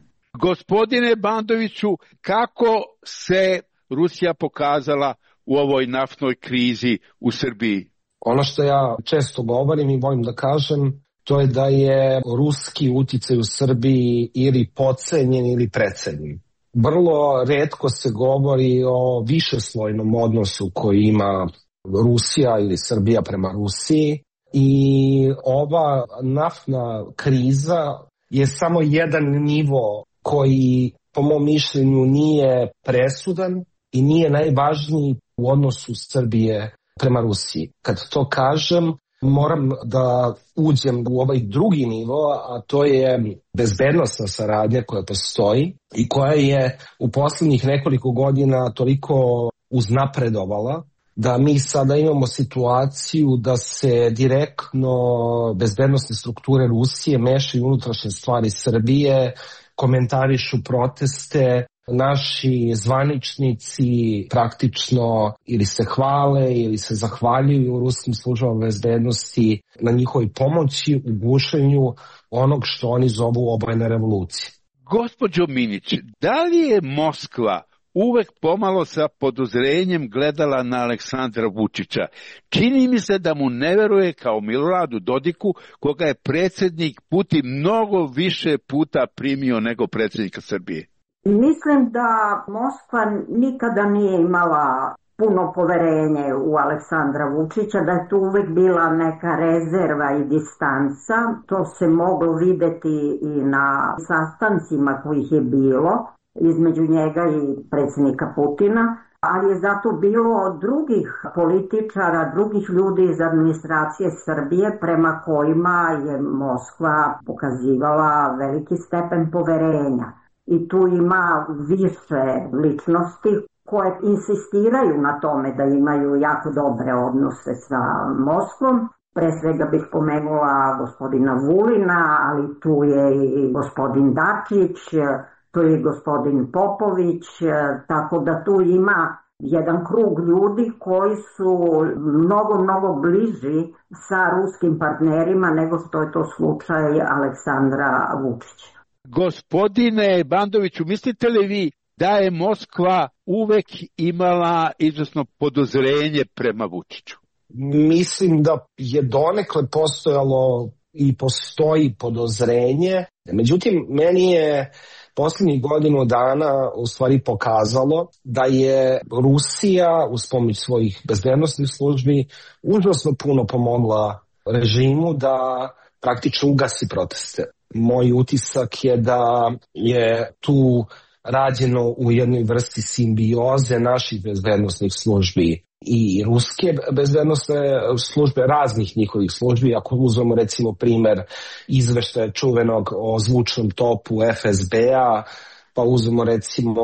Gospodine Bandoviću, kako se Rusija pokazala u ovoj naftnoj krizi u Srbiji? Ono što ja često govorim i volim da kažem, to je da je ruski uticaj u Srbiji ili podcenjen ili precenjen. Vrlo retko se govori o višeslojnom odnosu koji ima Rusija ili Srbija prema Rusiji i ova naftna kriza je samo jedan nivo koji po mom mišljenju nije presudan i nije najvažniji u odnosu Srbije prema Rusiji. Kad to kažem, moram da uđem u ovaj drugi nivo, a to je bezbednosna saradnja koja postoji i koja je u posljednjih nekoliko godina toliko uznapredovala da mi sada imamo situaciju da se direktno bezbednosne strukture Rusije mešaju u unutrašnje stvari Srbije, komentarišu proteste. Naši zvaničnici praktično ili se hvale ili se zahvaljuju ruskim službama bezbednosti na njihovoj pomoći u gušenju onog što oni zovu obojene revolucije. Gospođo Minić, da li je Moskva uvek pomalo sa podozrenjem gledala na Aleksandra Vučića? Čini mi se da mu ne veruje kao Miloradu Dodiku, koga je predsjednik Putin mnogo više puta primio nego predsjednika Srbije. Mislim da Moskva nikada nije imala puno poverenje u Aleksandra Vučića, da je tu uvek bila neka rezerva i distanca. To se moglo videti i na sastancima kojih je bilo između njega i predsjednika Putina, ali je zato bilo drugih političara, drugih ljudi iz administracije Srbije prema kojima je Moskva pokazivala veliki stepen poverenja. I tu ima više ličnosti koje insistiraju na tome da imaju jako dobre odnose sa Moskvom. Pre svega bih pomenula gospodina Vulina, ali tu je i gospodin Dačić, tu je i gospodin Popović, tako da tu ima jedan krug ljudi koji su mnogo bliži sa ruskim partnerima nego što je to slučaj Aleksandra Vučića. Gospodine Bandoviću, mislite li vi da je Moskva uvek imala izvesno podozrenje prema Vučiću? Mislim da je donekle postojalo i postoji podozrenje. Međutim, meni je posljednjih godinu dana u stvari pokazalo da je Rusija uz pomoć svojih bezbednosnih službi užasno puno pomogla režimu da praktično ugasi proteste. Moj utisak je da je tu rađeno u jednoj vrsti simbioze naših bezbednosnih službi i ruske bezbednosne službe, raznih njihovih službi. Ako uzmemo recimo primer izveštaja čuvenog o zvučnom topu FSB-a, pa uzmemo recimo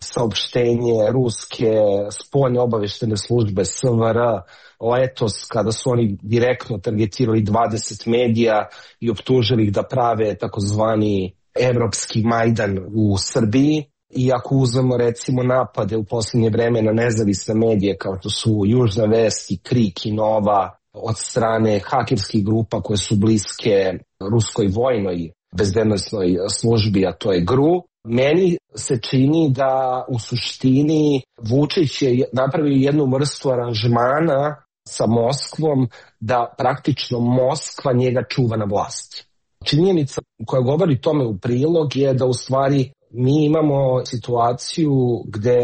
saopštenje ruske spoljne obaveštene službe SVR letos, kada su oni direktno targetirali 20 medija i optužili ih da prave takozvani evropski Majdan u Srbiji. I ako uzmemo recimo napade u posljednje vreme na nezavisne medije kao što su Južna vest i Krik i Nova od strane hakerskih grupa koje su bliske ruskoj vojnoj bezbednosnoj službi, a to je GRU, meni se čini da u suštini Vučić je napravio jednu vrstu aranžmana sa Moskvom da praktično Moskva njega čuva na vlasti. Činjenica koja govori tome u prilog je da u stvari mi imamo situaciju gde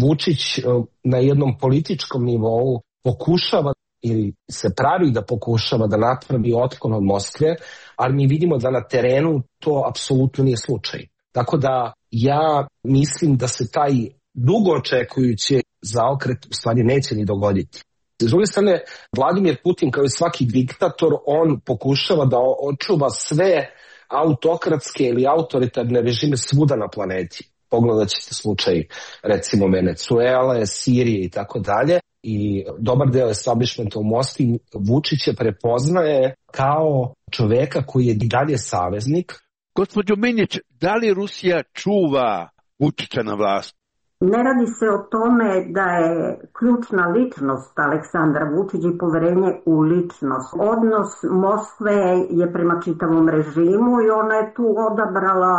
Vučić na jednom političkom nivou pokušava ili se pravi da pokušava da napravi otklon od Moskve, ali mi vidimo da na terenu to apsolutno nije slučaj. Tako da ja mislim da se taj dugo očekujući zaokret u stvari neće ni dogoditi. S druge strane, Vladimir Putin kao i svaki diktator, on pokušava da očuva sve autokratske ili autoritarne režime svuda na planeti. Pogledat ćete slučaj recimo Venecuele, Sirije i tako dalje. I dobar deo establishmenta u Moskvi Vučića prepoznaje kao čoveka koji je i dalje saveznik. Gospođo Minić, da li Rusija čuva Vučića na vlast? Ne radi se o tome da je ključna ličnost Aleksandra Vučića i poverenje u ličnost. Odnos Moskve je prema čitavom režimu i ona je tu odabrala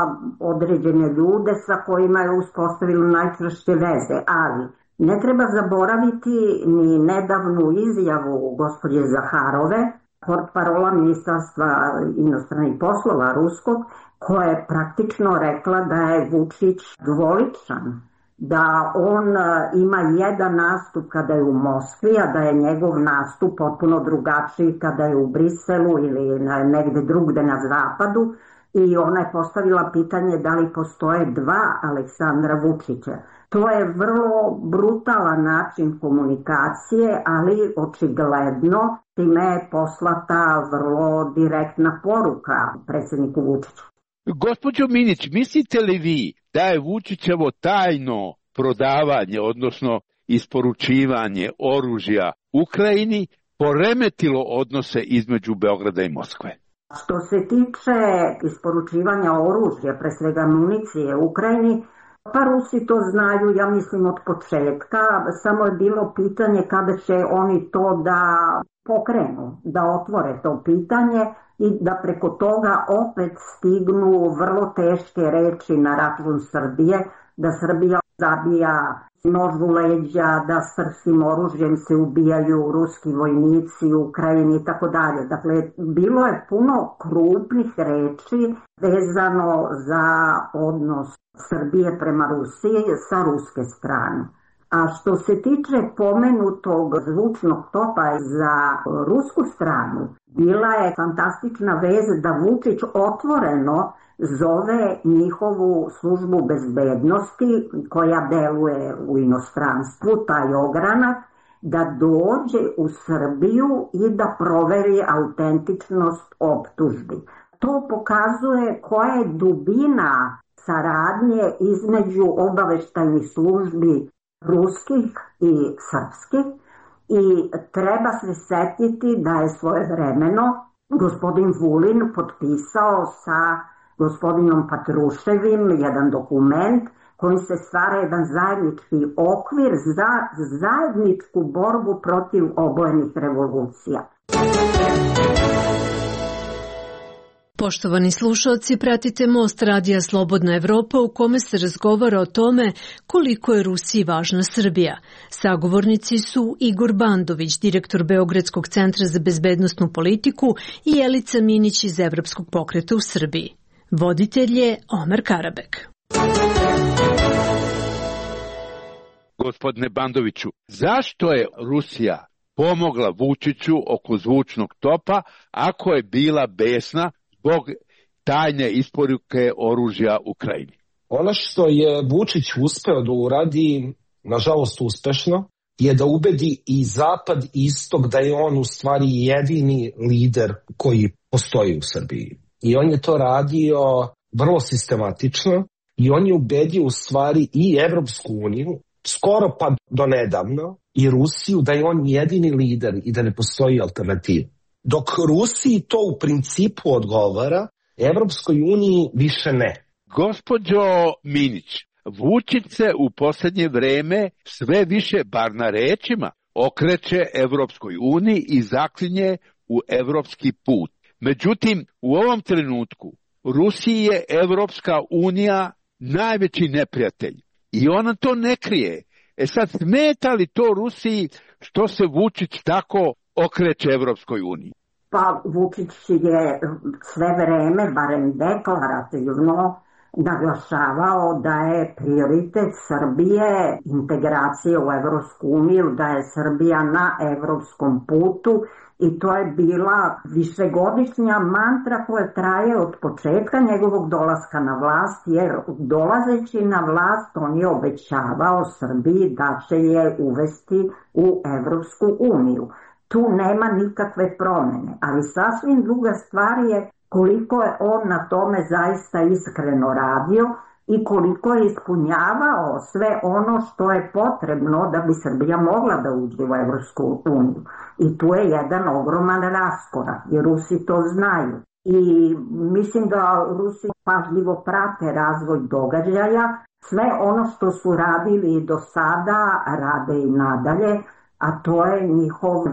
određene ljude sa kojima je uspostavila najčvršće veze, ali ne treba zaboraviti ni nedavnu izjavu gospođe Zaharove, portparola Ministarstva inostranih poslova ruskog, koja je praktično rekla da je Vučić dvoličan, da on ima jedan nastup kada je u Moskvi, a da je njegov nastup potpuno drugačiji kada je u Briselu ili negde drugde na zapadu. I ona je postavila pitanje da li postoje dva Aleksandra Vučića. To je vrlo brutalan način komunikacije, ali očigledno time je poslata vrlo direktna poruka predsjedniku Vučiću. Gospođo Minić, mislite li vi da je Vučićevo tajno prodavanje, odnosno isporučivanje oružja Ukrajini poremetilo odnose između Beograda i Moskve? Što se tiče isporučivanja oružja, pre svega municije Ukrajini, pa Rusi to znaju, ja mislim, od početka. Samo je bilo pitanje kada će oni to da pokrenu, da otvore to pitanje i da preko toga opet stignu vrlo teške reči na račun Srbije, da Srbija zabija nož u leđa, da s prskim oružjem se ubijaju ruski vojnici u Ukrajini i tako dalje. Dakle, bilo je puno krupnih reči vezano za odnos Srbije prema Rusiji sa ruske strane. A što se tiče pomenutog zvučnog topa za rusku stranu, bila je fantastična vez da Vučić otvoreno zove njihovu službu bezbednosti koja deluje u inostranstvu, taj ogranak, da dođe u Srbiju i da proveri autentičnost optužbi. To pokazuje koja je dubina saradnje između obaveštajnih službi ruskih i srpskih i treba se setiti da je svojevremeno gospodin Vulin potpisao sa gospodinom Patruševim jedan dokument kojim se stvara jedan zajednički okvir za zajedničku borbu protiv obojenih revolucija. Poštovani slušalci, pratite Most radija Slobodna Evropa u kome se razgovara o tome koliko je Rusiji važna Srbija. Sagovornici su Igor Bandović, direktor Beogradskog centra za bezbednosnu politiku i Jelica Minić iz Evropskog pokreta u Srbiji. Voditelj je Omer Karabek. Gospodine Bandoviću, zašto je Rusija pomogla Vučiću oko zvučnog topa ako je bila besna zbog tajne isporuke oružja Ukrajini? Ono što je Vučić uspeo da uradi, nažalost uspešno, je da ubedi i Zapad i Istok da je on u stvari jedini lider koji postoji u Srbiji. I on je to radio vrlo sistematično i on je ubedio u stvari i Evropsku uniju, skoro pa do nedavno, i Rusiju da je on jedini lider i da ne postoji alternativa. Dok Rusiji to u principu odgovara, Evropskoj uniji više ne. Gospođo Minić, Vučić se u posljednje vreme sve više, bar na rečima, okreće Evropskoj uniji i zaklinje u evropski put. Međutim, u ovom trenutku Rusiji je Evropska unija najveći neprijatelj i ona to ne krije. Sad, smeta li to Rusiji što se Vučić tako okreće Evropskoj uniji? Pa Vučić je sve vreme, barem deklarativno, naglašavao da je prioritet Srbije integracije u Evropsku uniju, da je Srbija na evropskom putu i to je bila višegodišnja mantra koja traje od početka njegovog dolaska na vlast, jer dolazeći na vlast on je obećavao Srbiji da će je uvesti u Evropsku uniju. Tu nema nikakve promene, ali sasvim druga stvar je koliko je on na tome zaista iskreno radio i koliko je ispunjavao sve ono što je potrebno da bi Srbija mogla da uđe u Evropsku uniju. I tu je jedan ogroman raskorak, jer Rusi to znaju. I mislim da Rusi pažljivo prate razvoj događaja, sve ono što su radili do sada rade i nadalje, a to je njihov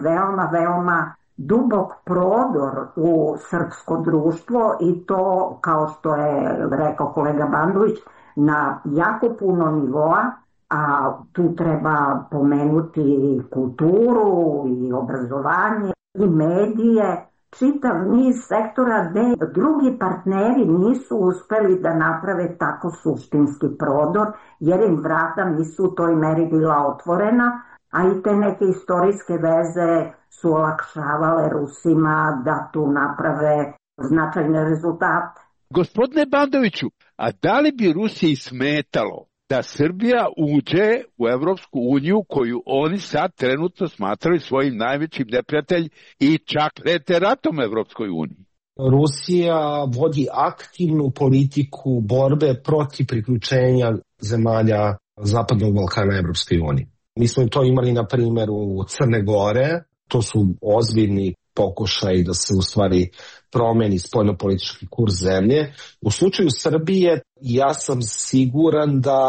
veoma dubok prodor u srpsko društvo i to, kao što je rekao kolega Bandović, na jako puno nivoa, a tu treba pomenuti kulturu i obrazovanje i medije, čitav niz sektora gde drugi partneri nisu uspeli da naprave tako suštinski prodor, jer im vrata nisu u toj meri bila otvorena, a i te neke istorijske veze su olakšavale Rusima da tu naprave značajne rezultate. Gospodine Bandoviću, a da li bi Rusiji smetalo da Srbija uđe u Evropsku uniju koju oni sad trenutno smatraju svojim najvećim neprijatelj i čak prete ratom Evropskoj uniji? Rusija vodi aktivnu politiku borbe protiv priključenja zemalja Zapadnog Balkana Evropskoj uniji. Mi smo to imali na primjeru Crne Gore, to su ozbiljni pokušaj da se u stvari promeni spoljnopolitički kurs zemlje. U slučaju Srbije ja sam siguran da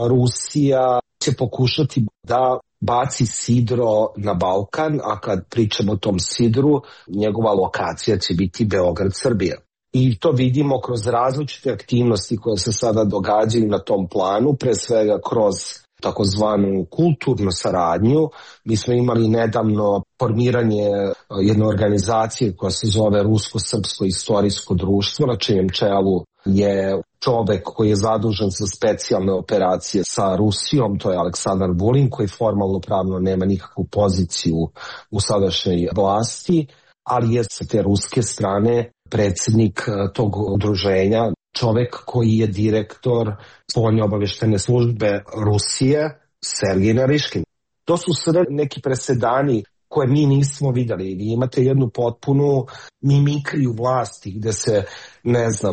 Rusija će pokušati da baci sidro na Balkan, a kad pričamo o tom sidru, njegova lokacija će biti Beograd-Srbija. I to vidimo kroz različite aktivnosti koje se sada događaju na tom planu, pre svega kroz takozvanu kulturnu saradnju. Mi smo imali nedavno formiranje jedne organizacije koja se zove Rusko-srpsko istorijsko društvo, na čijem čelu je čovek koji je zadužen za specijalne operacije sa Rusijom, to je Aleksandar Vulin, koji formalno pravno nema nikakvu poziciju u sadašnjoj vlasti, ali je sa te ruske strane predsjednik tog udruženja, čovek koji je direktor spoljne obavještene službe Rusije, Sergej Nariškin. To su sve neki presedani koje mi nismo vidjeli. Vi imate jednu potpunu mimikriju vlasti gdje se,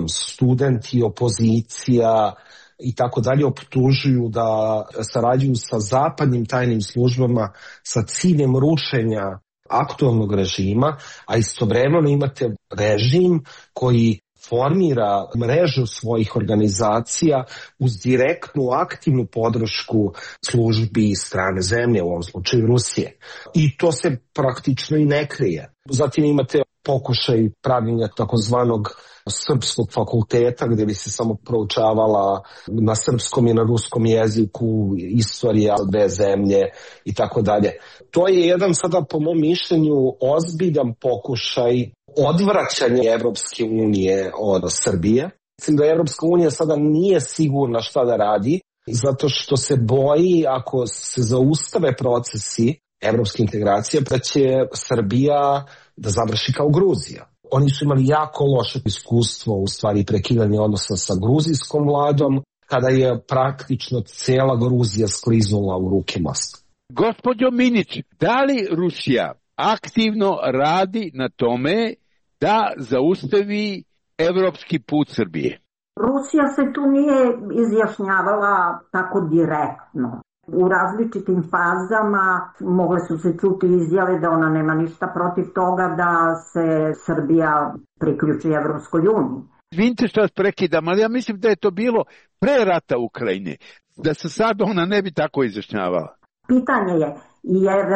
studenti, opozicija i tako dalje optužuju da sarađuju sa zapadnim tajnim službama sa ciljem rušenja aktualnog režima, a istovremeno imate režim koji formira mrežu svojih organizacija uz direktnu aktivnu podršku službi strane zemlje, u ovom slučaju Rusije. I to se praktično i ne krije. Zatim imate pokušaj pravljenja takozvanog srpskog fakulteta gdje bi se samo proučavala na srpskom i na ruskom jeziku istorija dve zemlje i tako dalje. To je jedan sada po mom mišljenju ozbiljan pokušaj odvraćanja Evropske unije od Srbije. Mislim da Evropska unija sada nije sigurna šta da radi zato što se boji ako se zaustave procesi evropske integracije da će Srbija da završi kao Gruzija. Oni su imali jako loše iskustvo u stvari prekidanja odnosa sa gruzijskom vladom kada je praktično cijela Gruzija skliznula u ruke Moskve. Gospođo Minić, da li Rusija aktivno radi na tome da zaustavi evropski put Srbije? Rusija se tu nije izjašnjavala tako direktno. U različitim fazama mogle su se čuti izjave da ona nema ništa protiv toga da se Srbija priključi Evropskoj uniji. Izvinite što vas prekidam, ali ja mislim da je to bilo pre rata Ukrajine, da se sad ona ne bi tako izjašnjavala. Pitanje je, jer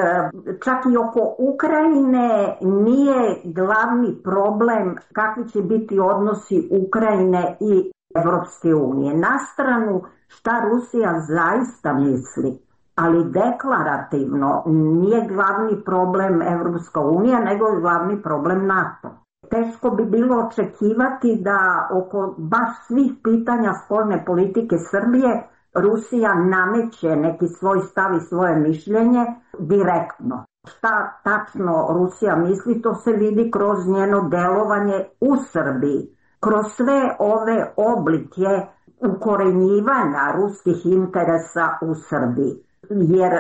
čak i oko Ukrajine nije glavni problem kakvi će biti odnosi Ukrajine i Evropske unije. Na stranu šta Rusija zaista misli, ali deklarativno nije glavni problem Evropska unija, nego je glavni problem NATO. Teško bi bilo očekivati da oko baš svih pitanja spoljne politike Srbije Rusija nameće neki svoj stav i svoje mišljenje direktno. Šta tačno Rusija misli, to se vidi kroz njeno delovanje u Srbiji. Kroz sve ove oblike ukorenjivanja ruskih interesa u Srbiji. Jer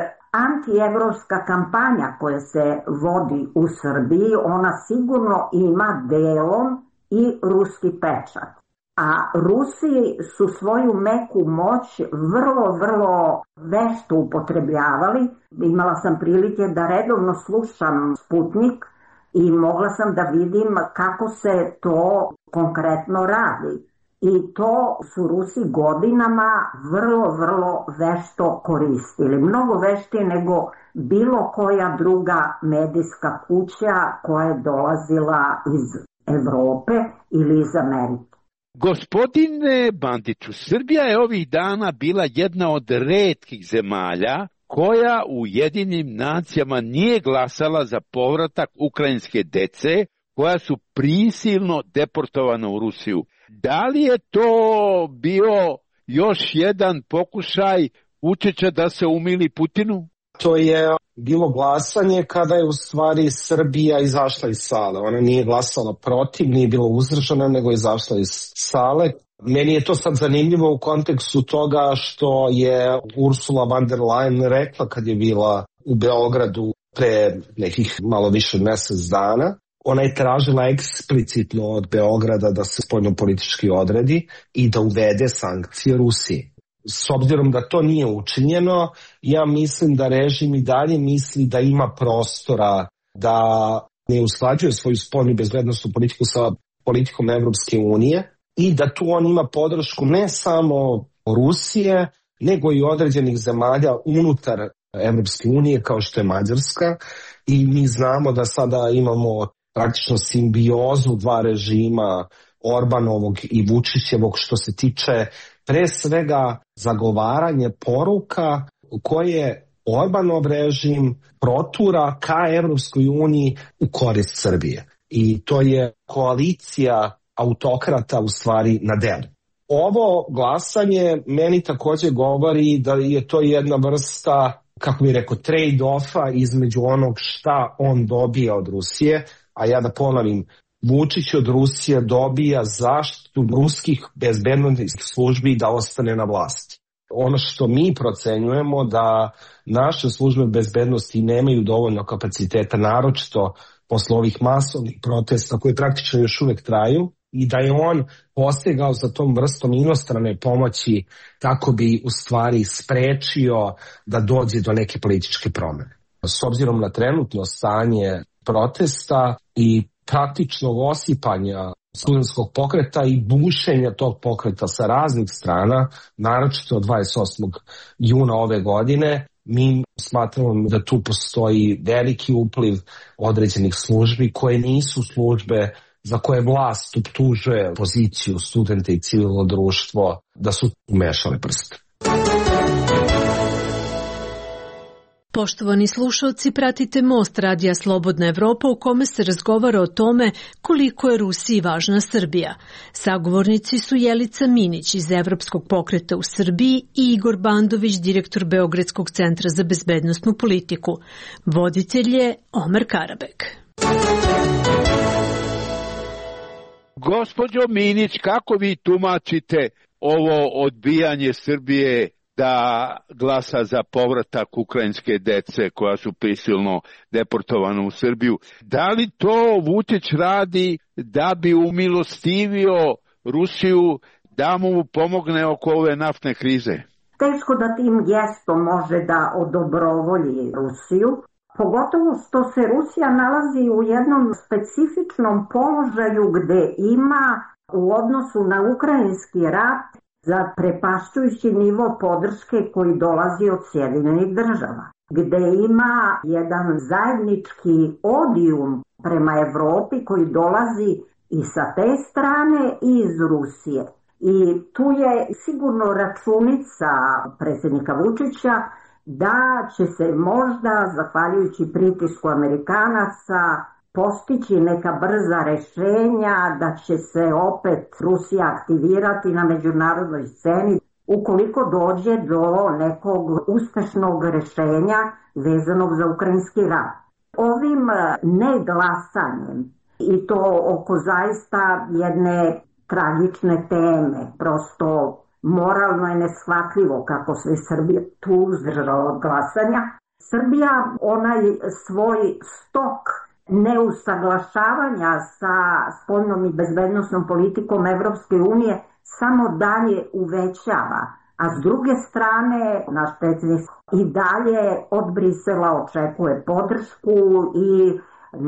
antievropska kampanja koja se vodi u Srbiji, ona sigurno ima delom i ruski pečat. A Rusi su svoju meku moć vrlo vešto upotrebljavali. Imala sam prilike da redovno slušam Sputnik i mogla sam da vidim kako se to konkretno radi. I to su Rusi godinama vrlo vešto koristili. Mnogo veštije nego bilo koja druga medijska kuća koja je dolazila iz Evrope ili iz Amerike. Gospodine Bandiću, Srbija je ovih dana bila jedna od retkih zemalja koja u Ujedinjenim nacijama nije glasala za povratak ukrajinske dece koja su prisilno deportovana u Rusiju. Da li je to bio još jedan pokušaj Vučića da se umili Putinu? To je bilo glasanje kada je u stvari Srbija izašla iz sale. Ona nije glasala protiv, nije bila uzdržana, nego je izašla iz sale. Meni je to sad zanimljivo u kontekstu toga što je Ursula von der Leyen rekla kad je bila u Beogradu pre nekih malo više od mjesec dana. Ona je tražila eksplicitno od Beograda da se spoljnopolitički odredi i da uvede sankcije Rusiji. S obzirom da to nije učinjeno, ja mislim da režim i dalje misli da ima prostora da ne usklađuje svoju spoljnu i bezbednosnu politiku sa politikom Evropske unije i da tu on ima podršku ne samo Rusije, nego i određenih zemalja unutar Evropske unije kao što je Mađarska. I mi znamo da sada imamo praktično simbiozu dva režima, Orbanovog i Vučićevog, što se tiče pre svega zagovaranje poruka koje Orbanov režim protura ka Evropskoj uniji u korist Srbije. I to je koalicija autokrata u stvari na delu. Ovo glasanje meni takođe govori da je to jedna vrsta, kako bih rekao, trade-offa između onog šta on dobija od Rusije, a ja da ponovim, Vučić od Rusije dobija zaštitu ruskih bezbednosnih službi da ostane na vlasti. Ono što mi procenjujemo da naše službe bezbednosti nemaju dovoljno kapaciteta, naročito posle ovih masovnih protesta koji praktično još uvek traju, i da je on postegao za tom vrstom inostrane pomoći kako bi u stvari sprečio da dođe do neke političke promene. S obzirom na trenutno stanje protesta i praktičnog osipanja studentskog pokreta i bušenja tog pokreta sa raznih strana, naročito od 28. juna ove godine, mi smatramo da tu postoji veliki upliv određenih službi koje nisu službe za koje vlast optužuje poziciju studenta i civilno društvo da su umešale prste. Poštovani slušalci, pratite Most radija Slobodna Evropa u kome se razgovara o tome koliko je Rusiji važna Srbija. Sagovornici su Jelica Minić iz Evropskog pokreta u Srbiji i Igor Bandović, direktor Beogradskog centra za bezbednosnu politiku. Voditelj je Omer Karabek. Gospođo Minić, kako vi tumačite ovo odbijanje Srbije da glasa za povratak ukrajinske dece koja su prisilno deportovana u Srbiju? Da li to Vučić radi da bi umilostivio Rusiju da mu pomogne oko ove naftne krize? Teško da tim gestom može da odobrovolji Rusiju, pogotovo što se Rusija nalazi u jednom specifičnom položaju gde ima u odnosu na ukrajinski rat zaprepašćujući nivo podrške koji dolazi od Sjedinjenih država, gde ima jedan zajednički odijum prema Evropi koji dolazi i sa te strane i iz Rusije. I tu je sigurno računica predsjednika Vučića da će se možda, zahvaljujući pritisku Amerikanaca, postići neka brza rešenja, da će se opet Rusija aktivirati na međunarodnoj sceni ukoliko dođe do nekog uspešnog rešenja vezanog za ukrajinski rat. Ovim neglasanjem, i to oko zaista jedne tragične teme, prosto moralno je neshvatljivo kako se Srbija tu uzdržala od glasanja, Srbija onaj svoj stok neusaglašavanja sa spoljnom i bezbednosnom politikom Evropske unije samo dalje uvećava, a s druge strane naš predsjednik i dalje od Brisela očekuje podršku i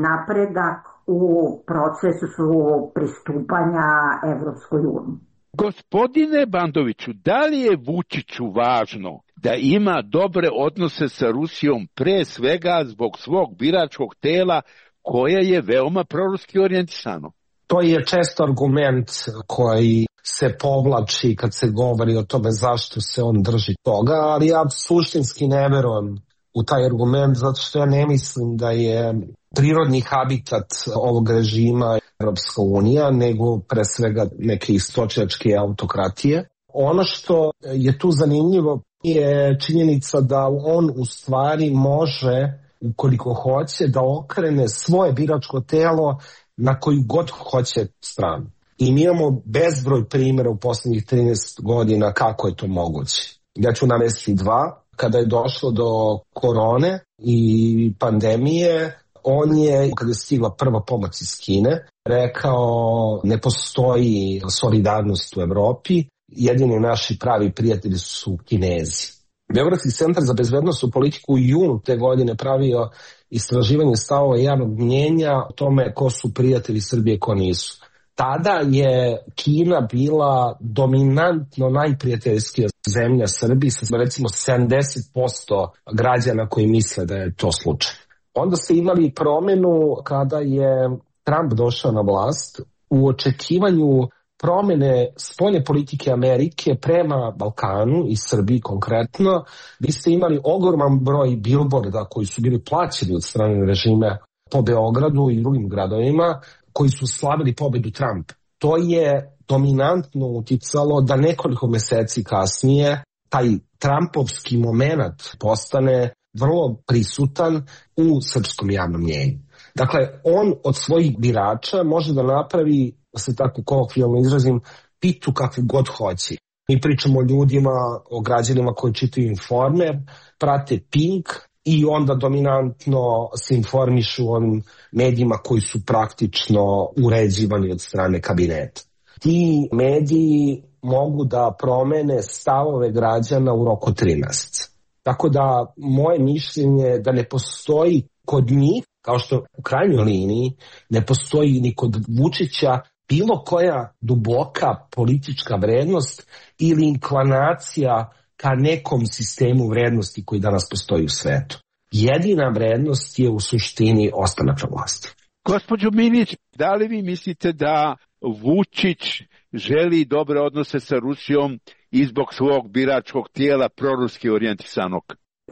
napredak u procesu pristupanja Evropskoj uniji. Gospodine Bandoviću, da li je Vučiću važno da ima dobre odnose sa Rusijom pre svega zbog svog biračkog tela koje je veoma proruski orijentisano? To je često argument koji se povlači kad se govori o tome zašto se on drži toga, ali ja suštinski ne verujem u taj argument zato što ja ne mislim da je prirodni habitat ovog režima Evropska unija, nego pre svega neke istočnjačke autokratije. Ono što je tu zanimljivo je činjenica da on u stvari može, ukoliko hoće, da okrene svoje biračko telo na koju god hoće stranu. I mi imamo bezbroj primjera u poslednjih 13 godina kako je to moguće. Ja ću navesti dva. Kada je došlo do korone i pandemije, on je, kada je stigla prva pomoć iz Kine, rekao ne postoji solidarnost u Evropi, jedini naši pravi prijatelji su Kinezi. Beogradski centar za bezbednosnu politiku u junu te godine pravio istraživanje stavova javnog mnjenja o tome ko su prijatelji Srbije, ko nisu. Tada je Kina bila dominantno najprijateljskija zemlja Srbiji sa recimo 70% građana koji misle da je to slučaj. Onda ste imali promenu kada je Trump došao na vlast u očekivanju promene spoljne politike Amerike prema Balkanu i Srbiji konkretno. Vi ste imali ogroman broj bilborda koji su bili plaćeni od strane režima po Beogradu i drugim gradovima koji su slavili pobedu Trumpa. to je dominantno uticalo da nekoliko meseci kasnije taj Trumpovski moment postane vrlo prisutan u srpskom javnom mnjenju. Dakle, on od svojih birača može da napravi, da se tako kolokvijalno izrazim, pitu kakvu god hoće. Mi pričamo o ljudima, o građanima koji čitaju Informer, prate Pink i onda dominantno se informišu o onim medijima koji su praktično uređivani od strane kabineta. Ti mediji mogu da promene stavove građana u roku 3 meseca. Tako da moje mišljenje je da ne postoji kod njih, kao što u krajnjoj liniji ne postoji ni kod Vučića bilo koja duboka politička vrednost ili inklinacija ka nekom sistemu vrednosti koji danas postoji u svetu. Jedina vrednost je u suštini ostanak na vlasti. Gospođo Minić, da li vi mislite da Vučić želi dobre odnose sa Rusijom i zbog svog biračkog tijela proruski orijentisanog?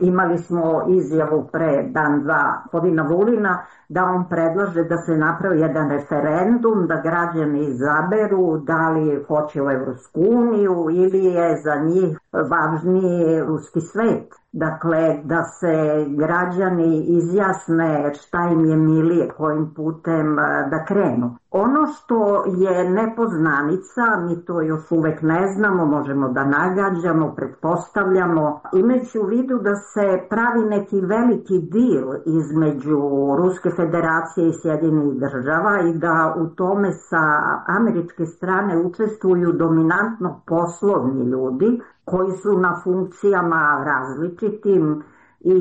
Imali smo izjavu pre dan-dva gospodina Vulina da on predlaže da se napravi jedan referendum, da građani izaberu da li hoće u Evropsku uniju ili je za njih važniji ruski svet. Dakle, da se građani izjasne šta im je milije, kojim putem da krenu. Ono što je nepoznanica, mi to još uvek ne znamo, možemo da nagađamo, pretpostavljamo, imajući u vidu da se pravi neki veliki deal između Ruske federacije i Sjedinjenih država i da u tome sa američke strane učestvuju dominantno poslovni ljudi koji su na funkcijama različitim i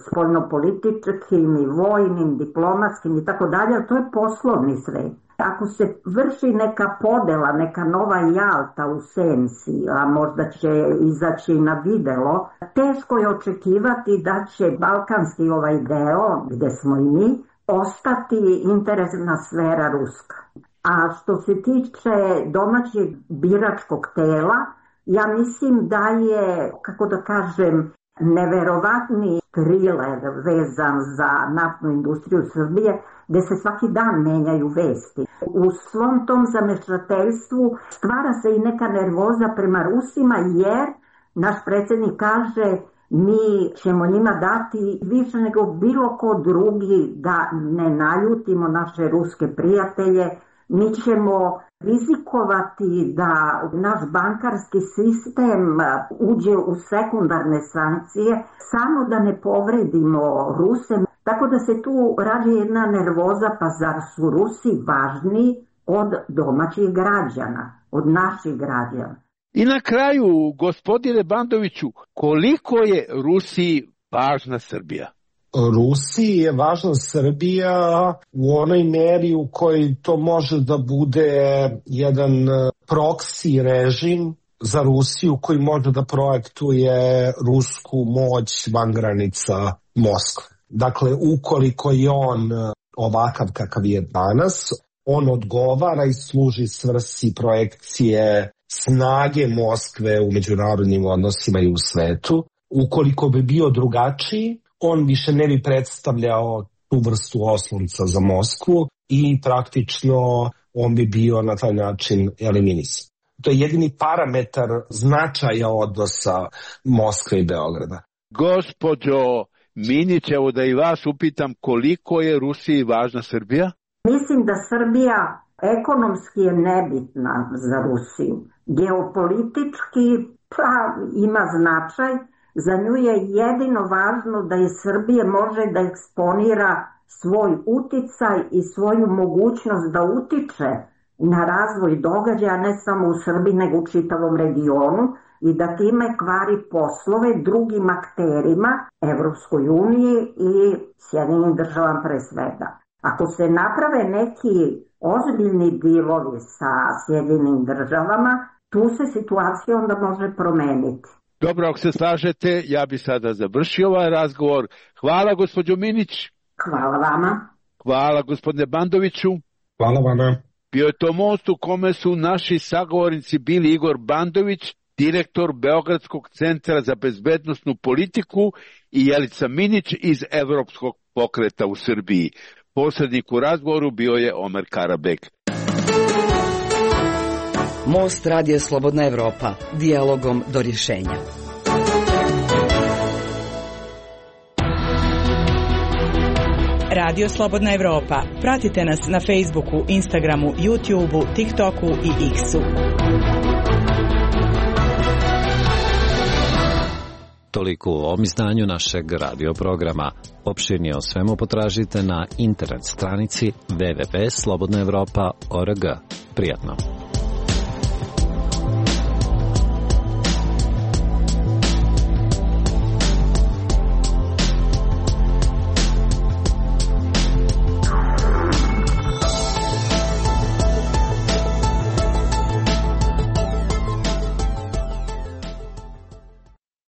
spoljnopolitičkim i vojnim, diplomatskim i tako dalje, to je poslovni svet. Ako se vrši neka podela, neka nova Jalta u senci, a možda će izaći na videlo, teško je očekivati da će balkanski ovaj deo, gde smo i mi, ostati interesna sfera ruska. A što se tiče domaćeg biračkog tela, ja mislim da je, kako da kažem, neverovatni triler vezan za naftnu industriju Srbije, gde se svaki dan menjaju vesti. U svom tom zamešateljstvu stvara se i neka nervoza prema Rusima, jer naš predsjednik kaže mi ćemo njima dati više nego bilo ko drugi da ne naljutimo naše ruske prijatelje. Mi ćemo rizikovati da naš bankarski sistem uđe u sekundarne sankcije samo da ne povredimo Ruse. Tako da se tu rađa jedna nervoza, pa zar su Rusi važniji od domaćih građana, od naših građana? I na kraju, gospodine Bandoviću, koliko je Rusiji važna Srbija? Rusiji je važna Srbija u onoj meri u kojoj to može da bude jedan proksi režim za Rusiju koji može da projektuje rusku moć van granica Moskve. Dakle, ukoliko je on ovakav kakav je danas, on odgovara i služi svrsi projekcije snage Moskve u međunarodnim odnosima i u svetu. Ukoliko bi bio drugačiji, on više ne bi predstavljao tu vrstu oslonca za Moskvu i praktično on bi bio na taj način eliminisan. To je jedini parametar značaja odnosa Moskve i Beograda. Gospođo Minić, evo da i vas upitam, koliko je Rusiji važna Srbija? Mislim da Srbija ekonomski je nebitna za Rusiju. Geopolitički pa ima značaj. Za nju je jedino važno da iz Srbije može da eksponira svoj uticaj i svoju mogućnost da utiče na razvoj događaja ne samo u Srbiji nego u čitavom regionu i da time kvari poslove drugim akterima, Evropskoj uniji i Sjedinjenim državama pre svega. Ako se naprave neki ozbiljni dilovi sa Sjedinjenim državama, tu se situacija onda može promeniti. Dobro, ako se slažete, ja bi sada završio ovaj razgovor. Hvala, gospođo Minić. Hvala vama. Hvala, gospodine Bandoviću. Hvala vama. Bio je to most u kome su naši sagovornici bili Igor Bandović, direktor Beogradskog centra za bezbednosnu politiku, i Jelica Minić iz Evropskog pokreta u Srbiji. Posrednik u razgovoru bio je Omer Karabek. Most Radio Slobodna Evropa, dijalogom do rješenja. Radio Slobodna Evropa. Pratite nas na Facebooku, Instagramu, YouTubeu, TikToku i X-u. Toliko u ovom izdanju našeg radio programa. Opširnije o svemu potražite na internet stranici www.slobodnaevropa.org. Prijatno.